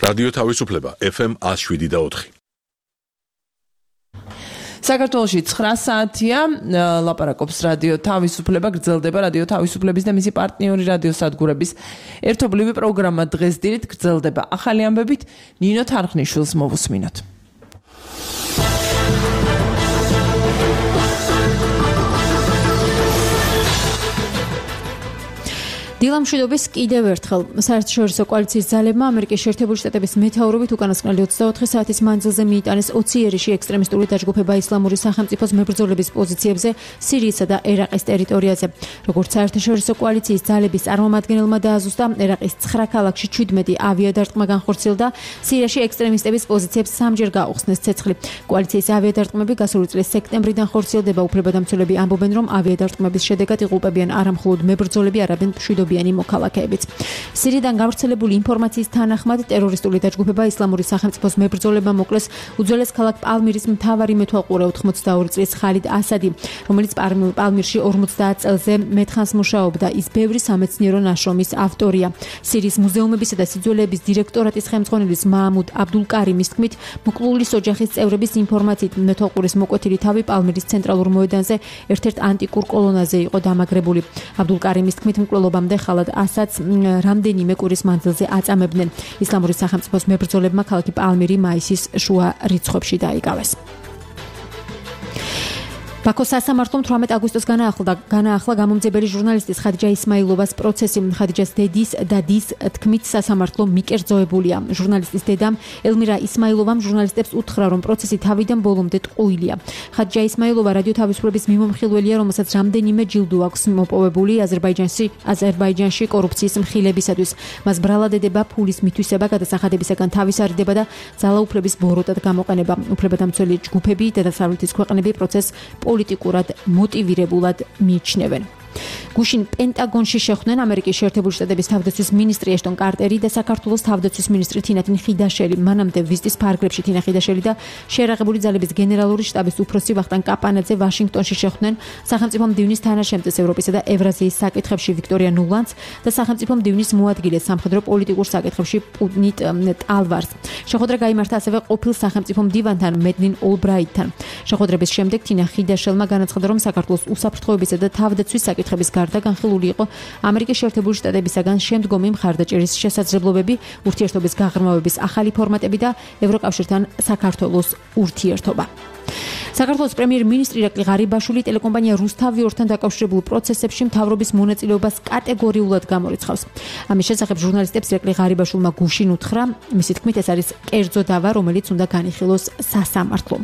რადიო თავისუფლება FM 107.4. საქართველოში 9 საათია, ლაპარაკობს რადიო თავისუფლება, გრძელდება რადიო თავისუფლების და მისი პარტნიორი რადიო სადგურების ერთობლივი პროგრამა დღეს დილით გრძელდება ახალი ამბებით, ნინო თარხნიშვილს მოვუსმინოთ. დილამშვიდობის კიდევ ერთხელ საერთაშორისო კოალიციის ძალებმა ამერიკის შეერთებული შტატების მეთაურობით უკანასკნელი 24 საათის მანძილზე მიიტანეს 20 იერიში ექსტრემისტული დაჯგუფება ისლამური სახელმწიფოს მებრძოლების პოზიციებზე სირიისა და ერაყის ტერიტორიაზე. როგორც საერთაშორისო კოალიციის ძალების წარმომადგენელმა დააზუსტა, ერაყის 9 ქალაქში 17 ავიადარტყმა განხორციელდა, სირიაში ექსტრემისტების პოზიციებს სამჯერ გაუხსნეს ცეცხლი. კოალიციის ავიადარტყმები გასული წლის სექტემბრიდან ხორციელდება. უფლებადამცველები ამბობენ, რომ ავიადარტყმების შედეგად იღუპებიან არა მხოლოდ მებრძოლები, არამედ მშვიდობიანი მოქალაქეებიც. სირიიდან გავრცელებული ინფორმაციის თანახმად, ტერორისტული დაჯგუფება ისლამური სახელმწიფოს მებრძოლებმა მოკლეს უძველეს ქალაქ პალმირის მთავარი მეთვალყურე 82 წლის ხალიდ ასადი, რომელიც პალმირში 50 წელზე მეთხანს მუშაობდა. ის ბევრი სამეცნიერო ნაშრომის ავტორია. სირიის მუზეუმებისა და სიძველეების დირექტორატის ხელმძღვანელის მაამუდ აბდულკარიმის თქმით, მოკლულის ოჯახის წევრების ინფორმაციით მეთვალყურის მოკვეთილი თავი პალმირის ცენტრალურ მოედანზე ერთ-ერთ ანტიკურ კოლონაზე იყო დამაგრებული. აბდულკარიმის თქმით, მკვლელობამდე ხალად ასადს რამდენიმე კვირის მანძილზე აწამებდნენ. ისლამური სახელმწიფოს მებრძოლებმა ქალაქი პალმირი მაისის შუა რიცხვებში დაიკავეს. ბაქოს სასამართლომ 18 აგვისტოს განაახლა გამომძებელი ჟურნალისტის ხადიჯა ისმაილოვას პროცესი. ხადიჯას დედის და დის თქმით სასამართლო მიკერძოებულია. ჟურნალისტის დედამ ელმირა ისმაილოვამ ჟურნალისტებს უთხრა, რომ პროცესი თავიდან ბოლომდე ტყუილია. ხადიჯა ისმაილოვა რადიო თავისუფლების მიმომხილველია, რომელსაც რამდენიმე ჯილდო აქვს მოპოვებული აზერბაიჯანში კორუფციის მხილებისათვის. მას ბრალადედება, ფულის მითვისება, გადასახადებისაგან თავისარიდება და ძალაუფლების ბოროტად გამოყენება. უფლებადამცველი ჯგუფები და დასავლეთის ქვეყნები პროცესს პოლიტიკურად მოტივირებულად მიიჩნევენ. გუშინ პენტაგონში შეხვდნენ ამერიკის შეერთებული შტატების თავდაცვის მინისტრი ეშტონ კარტერი და საქართველოს თავდაცვის მინისტრი თინათინ ხიდაშელი. მანამდე ვიზიტის ფარგლებში თინა ხიდაშელი და შეერაღებული ძალების გენერალური შტაბის უფროსი ვახტანგ კაპანაძე ვაშინგტონში შეხვდნენ სახელმწიფო მდივნის თანაშემწეს ევროპისა და ევრაზიის საკითხებში ვიქტორია ნულანს და სახელმწიფო მდივნის მოადგილეს სამხედრო პოლიტიკურ საკითხებში პუტნიტ ტალვარს. შეხვედრა გაიმართა ასევე ყოფილ სახელმწიფო მდივანთან მედლინ ოლბრაიტთან. შეხვედრების შემდეგ თინა ხიდაშელმა განაცხადა, რომ საქართველოს უსაფრთხოებისა და თავდაცვის საკითხების გარდა განხილული იყო ამერიკის შეერთებული შტატებისაგან შემდგომი მხარდაჭერის შესაძლებლობები, ურთიერთობის გაღრმავების ახალი ფორმატები და ევროკავშირთან საქართველოს ურთიერთობა. საქართველოს პრემიერ-მინისტრი ირაკლი ღარიბაშვილი ტელეკომპანია რუსთავი-ორთან დაკავშირებულ პროცესებში მთავრობის მონაწილეობას კატეგორიულად გამორიცხავს. ამის შესახებ ჟურნალისტებს ირაკლი ღარიბაშვილმა გუშინ უთხრა, მისი თქმით ეს არის კერძო დავა, რომელიც უნდა განიხილოს სასამართლომ.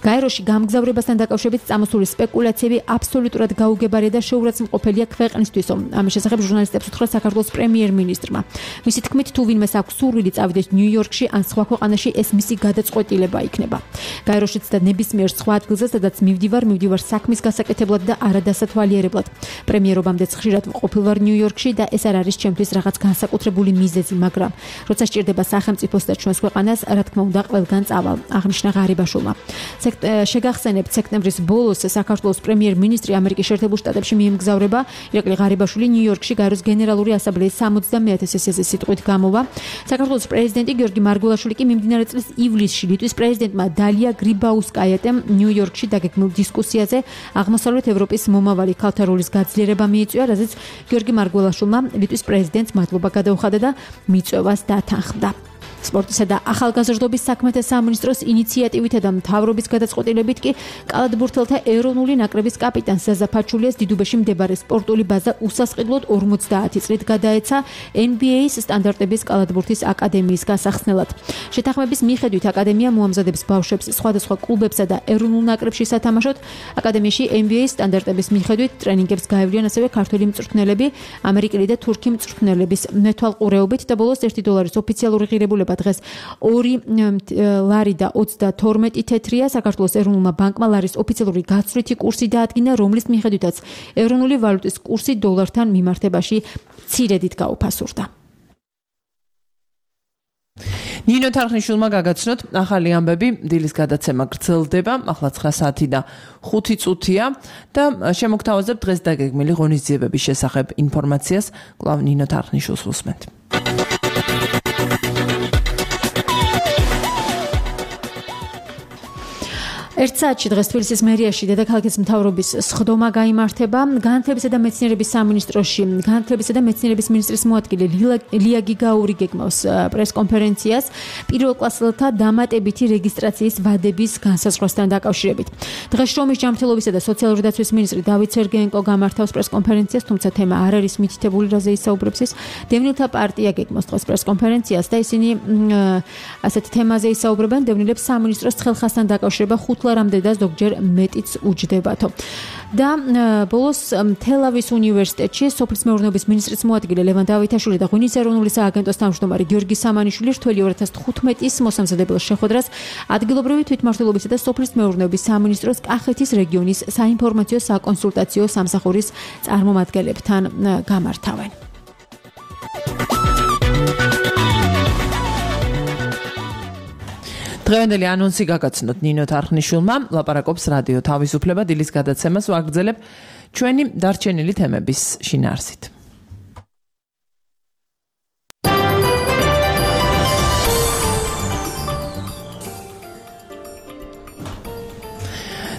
გაეროში გამგზავრებასთან დაკავშირებით წამოსული სპეკულაციები აბსოლუტურად გაუგებარია და შეურაცხმყოფელია ქვეყნისთვისო. ამის შესახებ ჟურნალისტებს უთხრა საქართველოს პრემიერ-მინისტრმა. მისი თქმით, თუ ვინმეს აქვს სურვილი წავიდეს ნიუ-იორკში ან სხვა ქვეყანაში, ეს მისი გადაწყვეტილება იქნება. გაეროშიც და ნებისმიერ სხვა ადგილზე, სადაც მივდივარ საქმის გასაკეთებლად და არადასათვალიერებლად. პრემიერობამდეც ხშირად ვყოფილ ვარ ნიუ-იორკში და ეს არ არის ჩემთვის რაღაც განსაკუთრებული მიზეზი, მაგრამ როცა სჭირდება სახელმწიფოს და ჩვენს ქვეყანას, რა თქმა უნდა, ყველგან წავალ, აღნიშნა ღარიბაშვილმა. შეგახსენებთ, სექტემბრის ბოლოს საქართველოს პრემიერ-მინისტრი ამერიკის შეერთებულ შტატებში მიემგზავრება. ირაკლი ღარიბაშვილი ნიუ-იორკში გაეროს გენერალური ასამბლეის 70-ე სესიაზე სიტყვით გამოვა. საქართველოს პრეზიდენტი გიორგი მარგველაშვილი კი მიმდინარე წლის ივლისში ლიტვის პრეზიდენტმა დალია გრიბაუსკაიატემ ნიუ-იორკში დაგეგმილ დისკუსიაზე აღმოსავლეთ ევროპის მომავალი ქალთა როლის გაძლიერება მიიწვია, რაზეც გიორგი მარგველაშვილმა ლიტვის პრეზიდენტს მადლობა გადაუხადა და მიწვევას დათანხმდა. სპორტისა და ახალგაზრდობის საქმეთა სამინისტროს ინიციატივითა და მთავრობის გადაწყვეტილებით კი კალათბურთელთა ეროვნული ნაკრების კაპიტანს ზაზა ფაჩულიას დიდუბეში მდებარე სპორტული ბაზა უსასყიდლოდ 50 წლით გადაეცა NBA-ის სტანდარტების კალათბურთის აკადემიის გასახსნელად. შეთანხმების მიხედვით აკადემია მოამზადებს ბავშვებს სხვადასხვა კლუბებსა და ეროვნულ ნაკრებში სათამაშოდ. აკადემიაში NBA-ის სტანდარტების მიხედვით ტრენინგებს გაევლიან ასევე ქართველი მწვრთნელები, ამერიკელი და თურქი მწვრთნელების მეთვალყურეობით და ბოლოს $1 ოფიციალური ღირებულება დღეს 2 ლარი და 32 თეთრია. საქართველოს ეროვნულმა ბანკმა ლარის ოფიციალური გაცვლითი კურსი დაადგინა, რომლის მიხედვითაც ეროვნული ვალუტის კურსი დოლართან მიმართებაში მცირედით გაუფასურდა. ნინო თარხნიშვილმა გაგაცნოთ ახალი ამბები, დილის გადაცემა გრძელდება, ახლა 9 საათი და 5 წუთია და შემოგთავაზებთ დღეს დაგეგმილი ღონისძიებების შესახებ ინფორმაციას. კვლავ ნინო თარხნიშვილს უსმენთ. ერთ საათში დღეს თბილისის მერიაში დედაქალაქის მთავრობის სხდომა გაიმართება. განათლებისა და მეცნიერების სამინისტროში განათლებისა და მეცნიერების მინისტრის მოადგილე ლია გიგაური გეგმავს პრესკონფერენციას პირველკლასელთა დამატებითი რეგისტრაციის ვადების განსაზღვრასთან დაკავშირებით. დღეს შრომის ჯანმრთელობისა და სოციალური დაცვის მინისტრი დავით სერგეენკო გამართავს პრესკონფერენციას, თუმცა თემა არ არის მითითებული, რაზე ისაუბრებს ის. დევნილთა პარტია გეგმავს დღეს პრესკონფერენციას და ისინი ასეთ თემაზე ისაუბრებენ. დევნილებს სამინისტროს ხელხასთან დაკავშირება ლარამდე და ზოგჯერ მეტიც უჯდებათო. და ბოლოს თელავის უნივერსიტეტში სოფლის მეურნეობის მინისტრის მოადგილე ლევან დავითაშვილი და ღვინის ეროვნული სააგენტოს თავმჯდომარე გიორგი სამანიშვილი რთველი 2015-ის მოსამზადებელ შეხვედრას ადგილობრივი თვითმმართველობისა და სოფლის მეურნეობის სამინისტროს კახეთის რეგიონის საინფორმაციო საკონსულტაციო სამსახურის წარმომადგენლებთან გამართავენ. დღევანდელი ანონსი გაგაცნოთ ნინო თარხნიშვილმა, ლაპარაკობს რადიო თავისუფლება დილის გადაცემას ვაგრძელებ ჩვენი დარჩენილი თემების შინაარსით.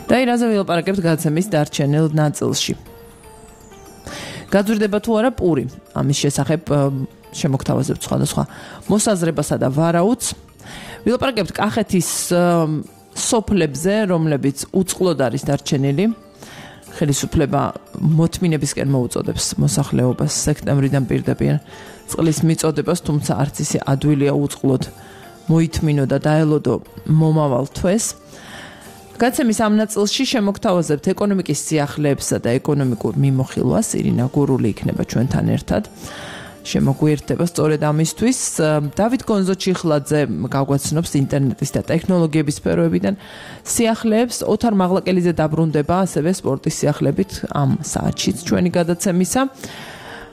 და რაზე ვილაპარაკებთ გადაცემის დარჩენილ ნაწილში. გაძვირდება თუ არა პური, ამის შესახებ შემოგთავაზებთ სხვადასხვა მოსაზრებასა და ვარაუდს. ვილაპარაკებთ კახეთის სოფლებზე, რომლებიც უწყლოდ არის დარჩენილი. ხელისუფლება მოთმინებისკენ მოუწოდებს მოსახლეობას სექტემბრიდან პირდაპირ წყლის მიწოდებას, თუმცა არც ისე ადვილია უწყლოდ მოითმინო და დაელოდო მომავალ თვეს. გადაცემის ამ ნაწილში შემოგთავაზებთ ეკონომიკის სიახლეებსა და ეკონომიკურ მიმოხილვას. ირინა გურული იქნება ჩვენთან ერთად. შემოგვიერთდება სწორედ ამისთვის. დავით გონზო-ჩიხლაძე გაგვაცნობს ინტერნეტის და ტექნოლოგიების სფეროებიდან სიახლეებს. ოთარ მაღლაკელიძე დაბრუნდება ასევე სპორტის სიახლეებით ამ საათშიც ჩვენი გადაცემისა.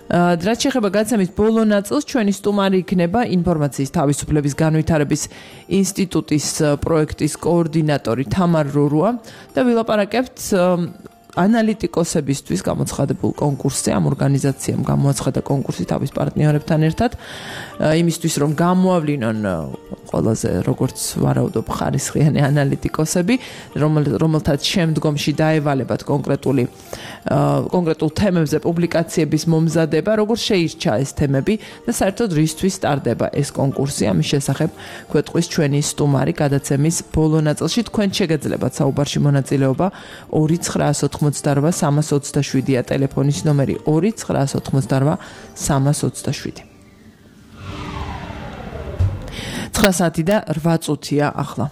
რაც შეეხება გადაცემის ბოლო ნაწილს, ჩვენი სტუმარი იქნება ინფორმაციის თავისუფლების განვითარების ინსტიტუტის პროექტის კოორდინატორი თამარ რურუა და ვილაპარაკებთ ანალიტიკოსებისთვის გამოცხადებულ კონკურსზე. ამ ორგანიზაციამ გამოაცხადა კონკურსი თავის პარტნიორებთან ერთად იმისთვის, რომ გამოავლინონ ყველაზე როგორც ვარაუდობ ხარისხიანი ანალიტიკოსები, რომელთაც შემდგომში დაევალებათ კონკრეტულ თემებზე პუბლიკაციების მომზადება, როგორც შეირჩა ეს თემები და საერთოდ რისთვის სტარდება ეს კონკურსი. ამის შესახებ გვეტყვის ჩვენი სტუმარი გადაცემის ბოლო ნაწილში. თქვენ შეგეძლებათ საუბარში მონაწილეობა 2988327-ია ტელეფონის ნომერი 2988327. 9 საათი და 8 წუთია ახლა.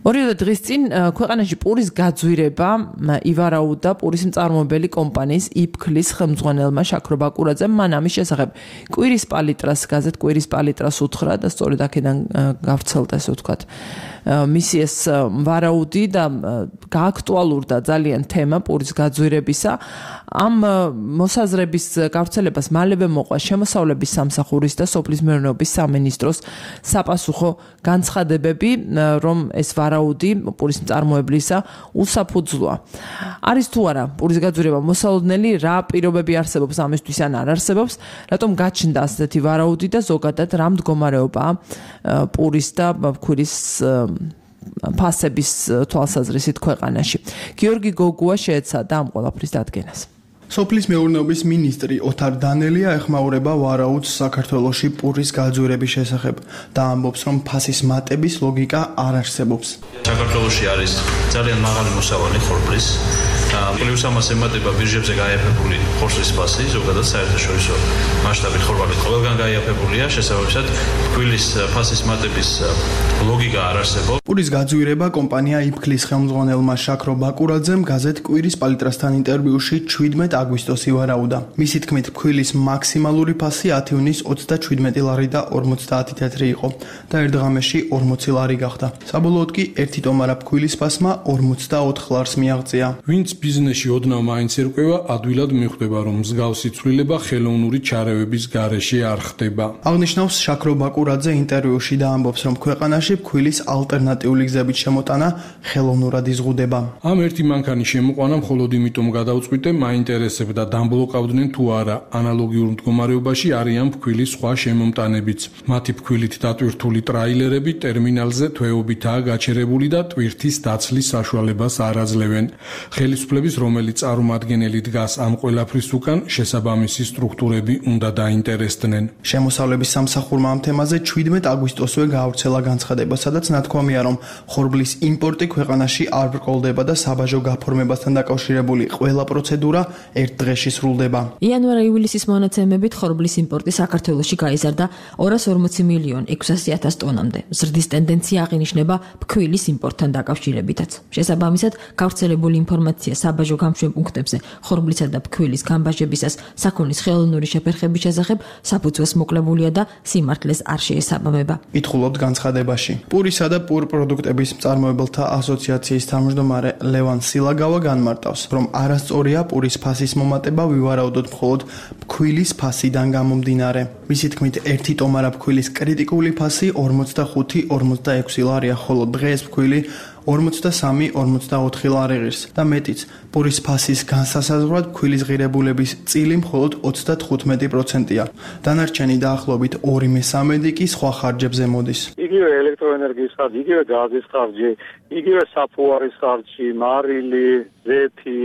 ორი დღის წინ ქვეყანაში პურის გაძვირება ივარაუდა პურის მწარმოებელი კომპანიის იფქლის ხელმძღვანელმა შაქრო ბაკურაძემ. მან ამის შესახებ კვირის პალიტრას გაზეთ კვირის პალიტრას უთხრა და სწორედ აქედან გავრცელდა ესე ვთქვათ მისი ეს ვარაუდი და გააქტუალურდა ძალიან თემა პურის გაძვირებისა. ამ მოსაზრების გავრცელებას მალევე მოყვა შემოსავლების სამსახურის და სოფლის მეურნეობის სამინისტროს საპასუხო განცხადებები, რომ ეს ვარაუდი პურის მწარმოებლისა უსაფუძვლოა. არის თუ არა პურის გაძვირება მოსალოდნელი, რა პირობები არსებობს ამისთვის ან არ არსებობს, რატომ გაჩნდა ასეთი ვარაუდი და ზოგადად რა მდგომარეობაა პურის და ქვირის ფასების თვალსაზრისით ქვეყანაში. გიორგი გოგუა შეეცადა ამ ყველაფრის დადგენას. სოფლის მეურნეობის მინისტრი ოთარ დანელია ეხმაურება ვარაუდს საქართველოში პურის გაძვირების შესახებ და ამბობს, რომ ფასის მატების ლოგიკა არ არსებობს. საქართველოში არის ძალიან მაღალი მოსავალი ხორბლის, პლუს ამას ემატება ბირჟებზე გაიაფებული ხორბლის ფასი, ზოგადად საერთაშორისო მასშტაბით ხორბალი ყველგან გაიაფებულია, შესაბამისად ქვილის ფასის მატების ლოგიკა არ არსებობს. პურის გაძვირება კომპანია იფქლის ხელმძღვანელმა შაქრო ბაკურაძემ გაზეთ კვირის პალიტრასთან ინტერვიუში 17 აგვისტოსი ვარაუდა. მისი თქმით, ქვილის მაქსიმალური ფასი 10 ივნის 37 ლარი და 50 თეთრი იყო და ერთ დღამში 40 ლარი გახდა. საბოლოოდ კი ერთი ტომარა ქვილის ფასმა 44 ლარს მიაღწია. ვინც ბიზნესში ოდნავ მაინც ერკვევა, ადვილად მიხვდება, რომ მსგავსი ცვლილება ხელოვნური ჩარევების გარეშე არ ხდება. აღნიშნავს შაქრო ბაკურაძე ინტერვიუში და ამბობს, რომ ქვეყანაში ქვილის ალტერნატიული გზებით შემოტანა ხელოვნურად იზღუდება. ამ ერთი მანქანის შემოყვანა მხოლოდ იმიტომ გადავწყვიტე, მაინტერესებს დაინტერესებდა, დამბლოკავდნენ თუ არა, ანალოგიურ მდგომარეობაში არიან ფქვილის სხვა შემომტანებიც. მათი ფქვილით დატვირთული ტრაილერები ტერმინალზე თვეობითაა გაჩერებული და ტვირთის დაცლის საშუალებას არ აძლევენ. ხელისუფლების, რომელიც წარმომადგენელი დგას ამ ყველაფრის უკან, შესაბამისი სტრუქტურები უნდა დაინტერესდნენ. შემოსავლების სამსახურმა ამ თემაზე 17 აგვისტოსვე გაავრცელა განცხადება, სადაც ნათქვამია, რომ ხორბლის იმპორტი ქვეყანაში არ ბრკოლდება და საბაჟო გაფორმებასთან დაკავშირებული ყველა პროცედურა ერთ დღეში სრულდება. იანვარ-ივლისის მონაცემებით ხორბლის იმპორტი საქართველოში გაიზარდა 240 მილიონ 600,000 ტონამდე. ზრდის ტენდენცია აღინიშნება ფქვილის იმპორტთან დაკავშირებითაც. შესაბამისად, გავრცელებული ინფორმაცია საბაჟო გამშვენ პუნქტებზე ხორბლისა და ფქვილის გამბაჟებისას საქონლის ხელოვნური შეფერხების შესახებ საფუძველს მოკლებულია და სიმართლეს არ შეესაბამება. ითხოვთ განცხადებაში. პურისა და პურ პროდუქტების მწარმოებელთა ასოციაციის თავმჯდომარე ლევან სილაგავა განმარტავს, რომ არასწორია პურის ფასის მომატება ვივარაუდოთ მხოლოდ ფქვილის ფასიდან გამომდინარე. მისი თქმით, ერთი ტომარა ფქვილის კრიტიკული ფასი 45-46 ლარია, ხოლო დღეს ფქვილი 43-44 ლარი ღირს და მეტიც. პურის ფასის განსასაზღვრად ფქვილის ღირებულების წილი მხოლოდ 35%-ია. დანარჩენი დაახლოებით 2/3 კი სხვა ხარჯებზე მოდის. იგივე ელექტროენერგიის ხარჯი, იგივე გაზის ხარჯი, იგივე საფუარის ხარჯი, მარილი, ზეთი,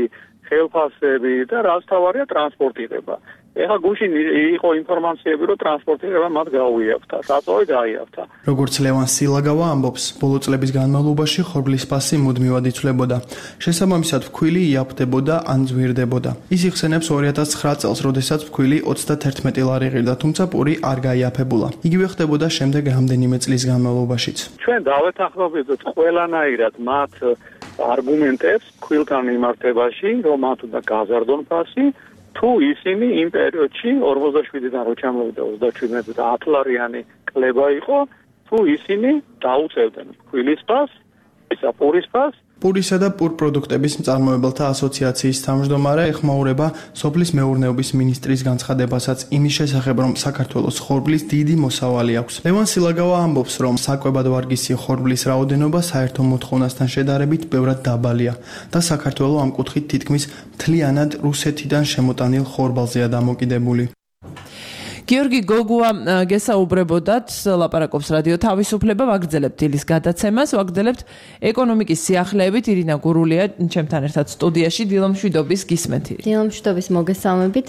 ხელფასები და რაც თავარია ტრანსპორტირება. ეხლა გუშინ იყო ინფორმაციები, რომ ტრანსპორტირება მათ გაუიაფთა, საწოვი გაიაფთა. როგორც ლევან სილაგავა ამბობს, ბოლო წლების განმავლობაში ხორბლის ფასი მუდმივად იცვლებოდა. შესაბამისად, ფქვილი იაფთებოდა ან ძვირდებოდა. ის იხსენებს 2009 წელს, როდესაც ფქვილი 31 ლარი ღირდა, თუმცა პური არ გაიაფებულა. იგივე ხდებოდა შემდეგ რამდენიმე წლის განმავლობაშიც. ჩვენ დავეთანხმებოდით ყველანაირად მათ არგუმენტებს ფქვილთან მიმართებაში, რომ მათ უნდა გაზარდონ ფასი. თუ ისინი იმ პერიოდში 47-დან რო ჩამოვიდა 37-ზე 10 ლარიანი კლება იყო, თუ ისინი დაუწევდნენ ფქვილის ფასს, ისა პურის ფასს. პურისა და პურ პროდუქტების მწარმოებელთა ასოციაციის თავმჯდომარე ეხმაურება სოფლის მეურნეობის მინისტრის განცხადებასაც იმის შესახებ, რომ საქართველოს ხორბლის დიდი მოსავალი აქვს. ლევან სილაგავა ამბობს, რომ საკვებად ვარგისი ხორბლის რაოდენობა საერთო მოთხოვნასთან შედარებით ბევრად დაბალია და საქართველო ამ კუთხით თითქმის მთლიანად რუსეთიდან შემოტანილ ხორბალზეა დამოკიდებული. გიორგი გოგუა გესაუბრებოდათ, ლაპარაკობს რადიო თავისუფლება, ვაგრძელებთ დილის გადაცემას, ვაგრძელებთ ეკონომიკის სიახლეებით. ირინა გურულია ჩემთან ერთად სტუდიაში. დილომშვიდობის გისმენთ. დილომშვიდობის მოგესალმებით.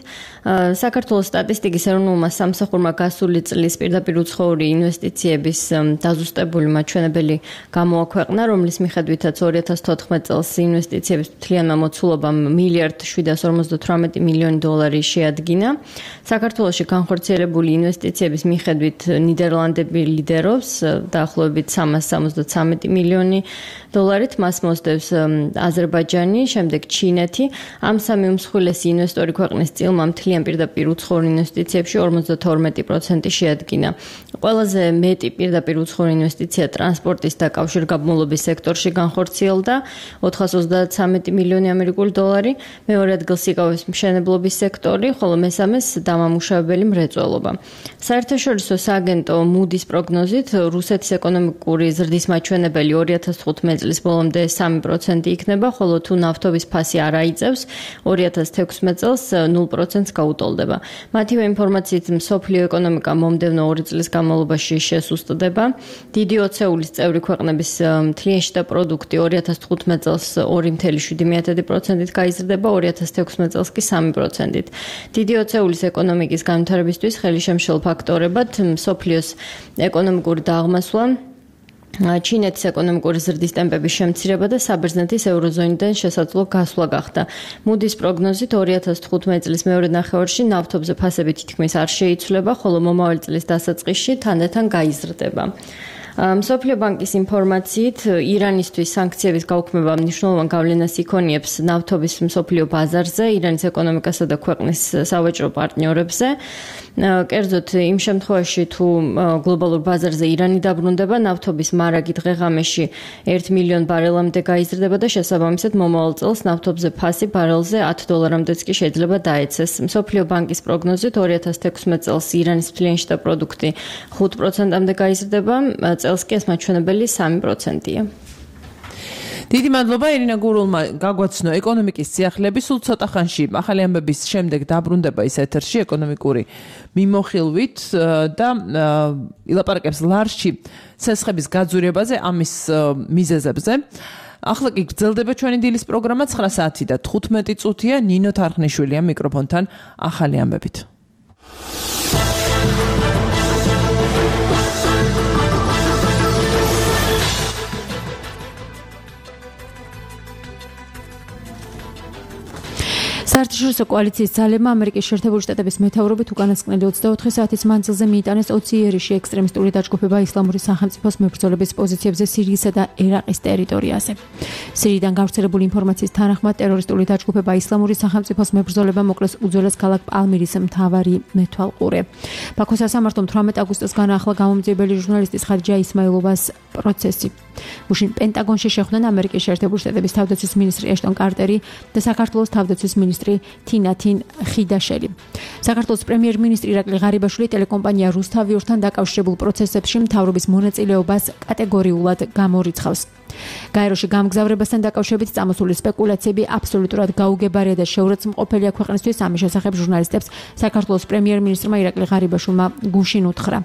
საქართველოს სტატისტიკის ეროვნულმა სამსახურმა გასული წლის პირდაპირ უცხოური ინვესტიციების დაზუსტებული მაჩვენებელი გამოაქვეყნა, რომლის მიხედვითაც 2014 წელს ინვესტიციების მთლიანმა მოცულობამ $1,758 მილიონი შეადგინა. საქართველოში განხორციელებული ინვესტიციების მიხედვით ნიდერლანდები ლიდერობს დაახლოებით $373 მილიონი, მას მოსდევს აზერბაიჯანი, შემდეგ ჩინეთი. ამ სამი უმსხვილესი ინვესტორი ქვეყნის წილმა მთლიან პირდაპირ უცხოურ ინვესტიციებში 52% შეადგინა. ყველაზე მეტი პირდაპირ უცხოური ინვესტიცია ტრანსპორტის და კავშირგაბმულობის სექტორში განხორციელდა $433 მილიონი, მეორე ადგილს იკავებს მშენებლობის სექტორი, ხოლო მესამეს დამამუშავებელი მრეწველობა. საერთაშორისო სააგენტო Moody's პროგნოზით რუსეთის ეკონომიკური ზრდის მაჩვენებელი 2015 წლის ბოლომდე 3% იქნება, ხოლო თუ ნავთობის ფასი არ აიწევს, 2016 წელს 0%-ს გაუტოლდება. მათივე ინფორმაციით მსოფლიო ეკონომიკა მომდევნო 2 წლის განმავლობაში შესუსტდება. დიდი ოცეულის წევრი ქვეყნების მთლიანი შიდა პროდუქტი 2015 წელს 2,7%-ით გაიზრდება, 2016 წელს კი 3%-ით. დიდი ოცეულის ეკონომიკის განვითარებისთვის ხელისშემშელ ფაქტორებად მსოფლიოს ეკონომიკური დაღმასვლა, ჩინეთის ეკონომიკური ზრდის ტემპების შემცირება და საბერძნეთის ევროზონიდან შესაძლო გასვლა გახდა. Moody's პროგნოზით 2015 წლის მეორე ნახევარში ნავთობზე ფასები თითქმის არ შეიცვლება, ხოლო მომავალი წლის დასაწყისში თანდათან გაიზრდება. მსოფლიო ბანკის ინფორმაციით ირანისთვის სანქციების გაუქმება მნიშვნელოვან გავლენას იქონიებს ნავთობის მსოფლიო ბაზარზე, ირანის ეკონომიკასა და ქვეყნის სავაჭრო პარტნიორებზე. კერძოდ იმ შემთხვევაში თუ გლობალურ ბაზარზე ირანი დაბრუნდება, ნავთობის მარაგი დღე-ღამეში 1 მილიონ ბარელამდე გაიზრდება და შესაბამისად მომავალ წელს ნავთობზე ფასი ბარელზე $10-მდეც კი შეიძლება დაეცეს. მსოფლიო ბანკის პროგნოზით 2016 წელს ირანის მთლიანი შიდა პროდუქტი 5%-მდე გაიზრდება, წელს კი ეს მაჩვენებელი 3%-ია. დიდი მადლობა ირინა გურულმა გაგვაცნო ეკონომიკის სიახლეები სულ ცოტა ხანში ახალი ამბების შემდეგ დაბრუნდება ის ეთერში ეკონომიკური მიმოხილვით და ილაპარაკებს ლარში ცესხების გაძვირებაზე ამის მიზეზებზე ახლა კი გრძელდება ჩვენი დილის პროგრამა 9 საათი და 15 წუთია ნინო თარხნიშვილია მიკროფონთან ახალი ამბებით საერთაშორისო კოალიციის ძალებმა ამერიკის შეერთებული შტატების მეთაურობით უკანასკნელი 24 საათის მანძილზე მიიტანეს 20 იერიში ექსტრემისტული დაჯგუფება ისლამური სახელმწიფოს მებრძოლების პოზიციებზე სირიისა და ერაყის ტერიტორიაზე. სირიიდან გავრცელებული ინფორმაციის თანახმად ტერორისტული დაჯგუფება ისლამური სახელმწიფოს მებრძოლება მოკლეს უძველეს ქალაქ პალმირის მთავარი მეთვალყურე. ბაქოს სასამართლომ 18 აგვისტოს განაახლა გამომძიებელი ჟურნალისტის ხადიჯა ისმაილოვას პროცესი. უშინ პენტაგონში შეხვდნენ ამერიკის შეერთებული შტატების თავდაცვის მინისტრი ეშტონ კარტერი და საქართველოს თავდაცვის მინისტრი თინათინ ხიდაშელი. საქართველოს პრემიერ-მინისტრი ირაკლი ღარიბაშვილი ტელეკომპანია რუსთავიორთან დაკავშირებულ პროცესებში მთავრობის მონაწილეობას კატეგორიულად გამორიცხავს. გაეროში გამგზავრებასთან დაკავშირებით წამოსული სპეკულაციები აბსოლუტურად გაუგებარია და შეურაცხმყოფელია ქვეყნისთვის ამის შესახებ ჟურნალისტებს საქართველოს პრემიერ-მინისტრმა ირაკლი ღარიბაშვილმა გუშინ უთხრა.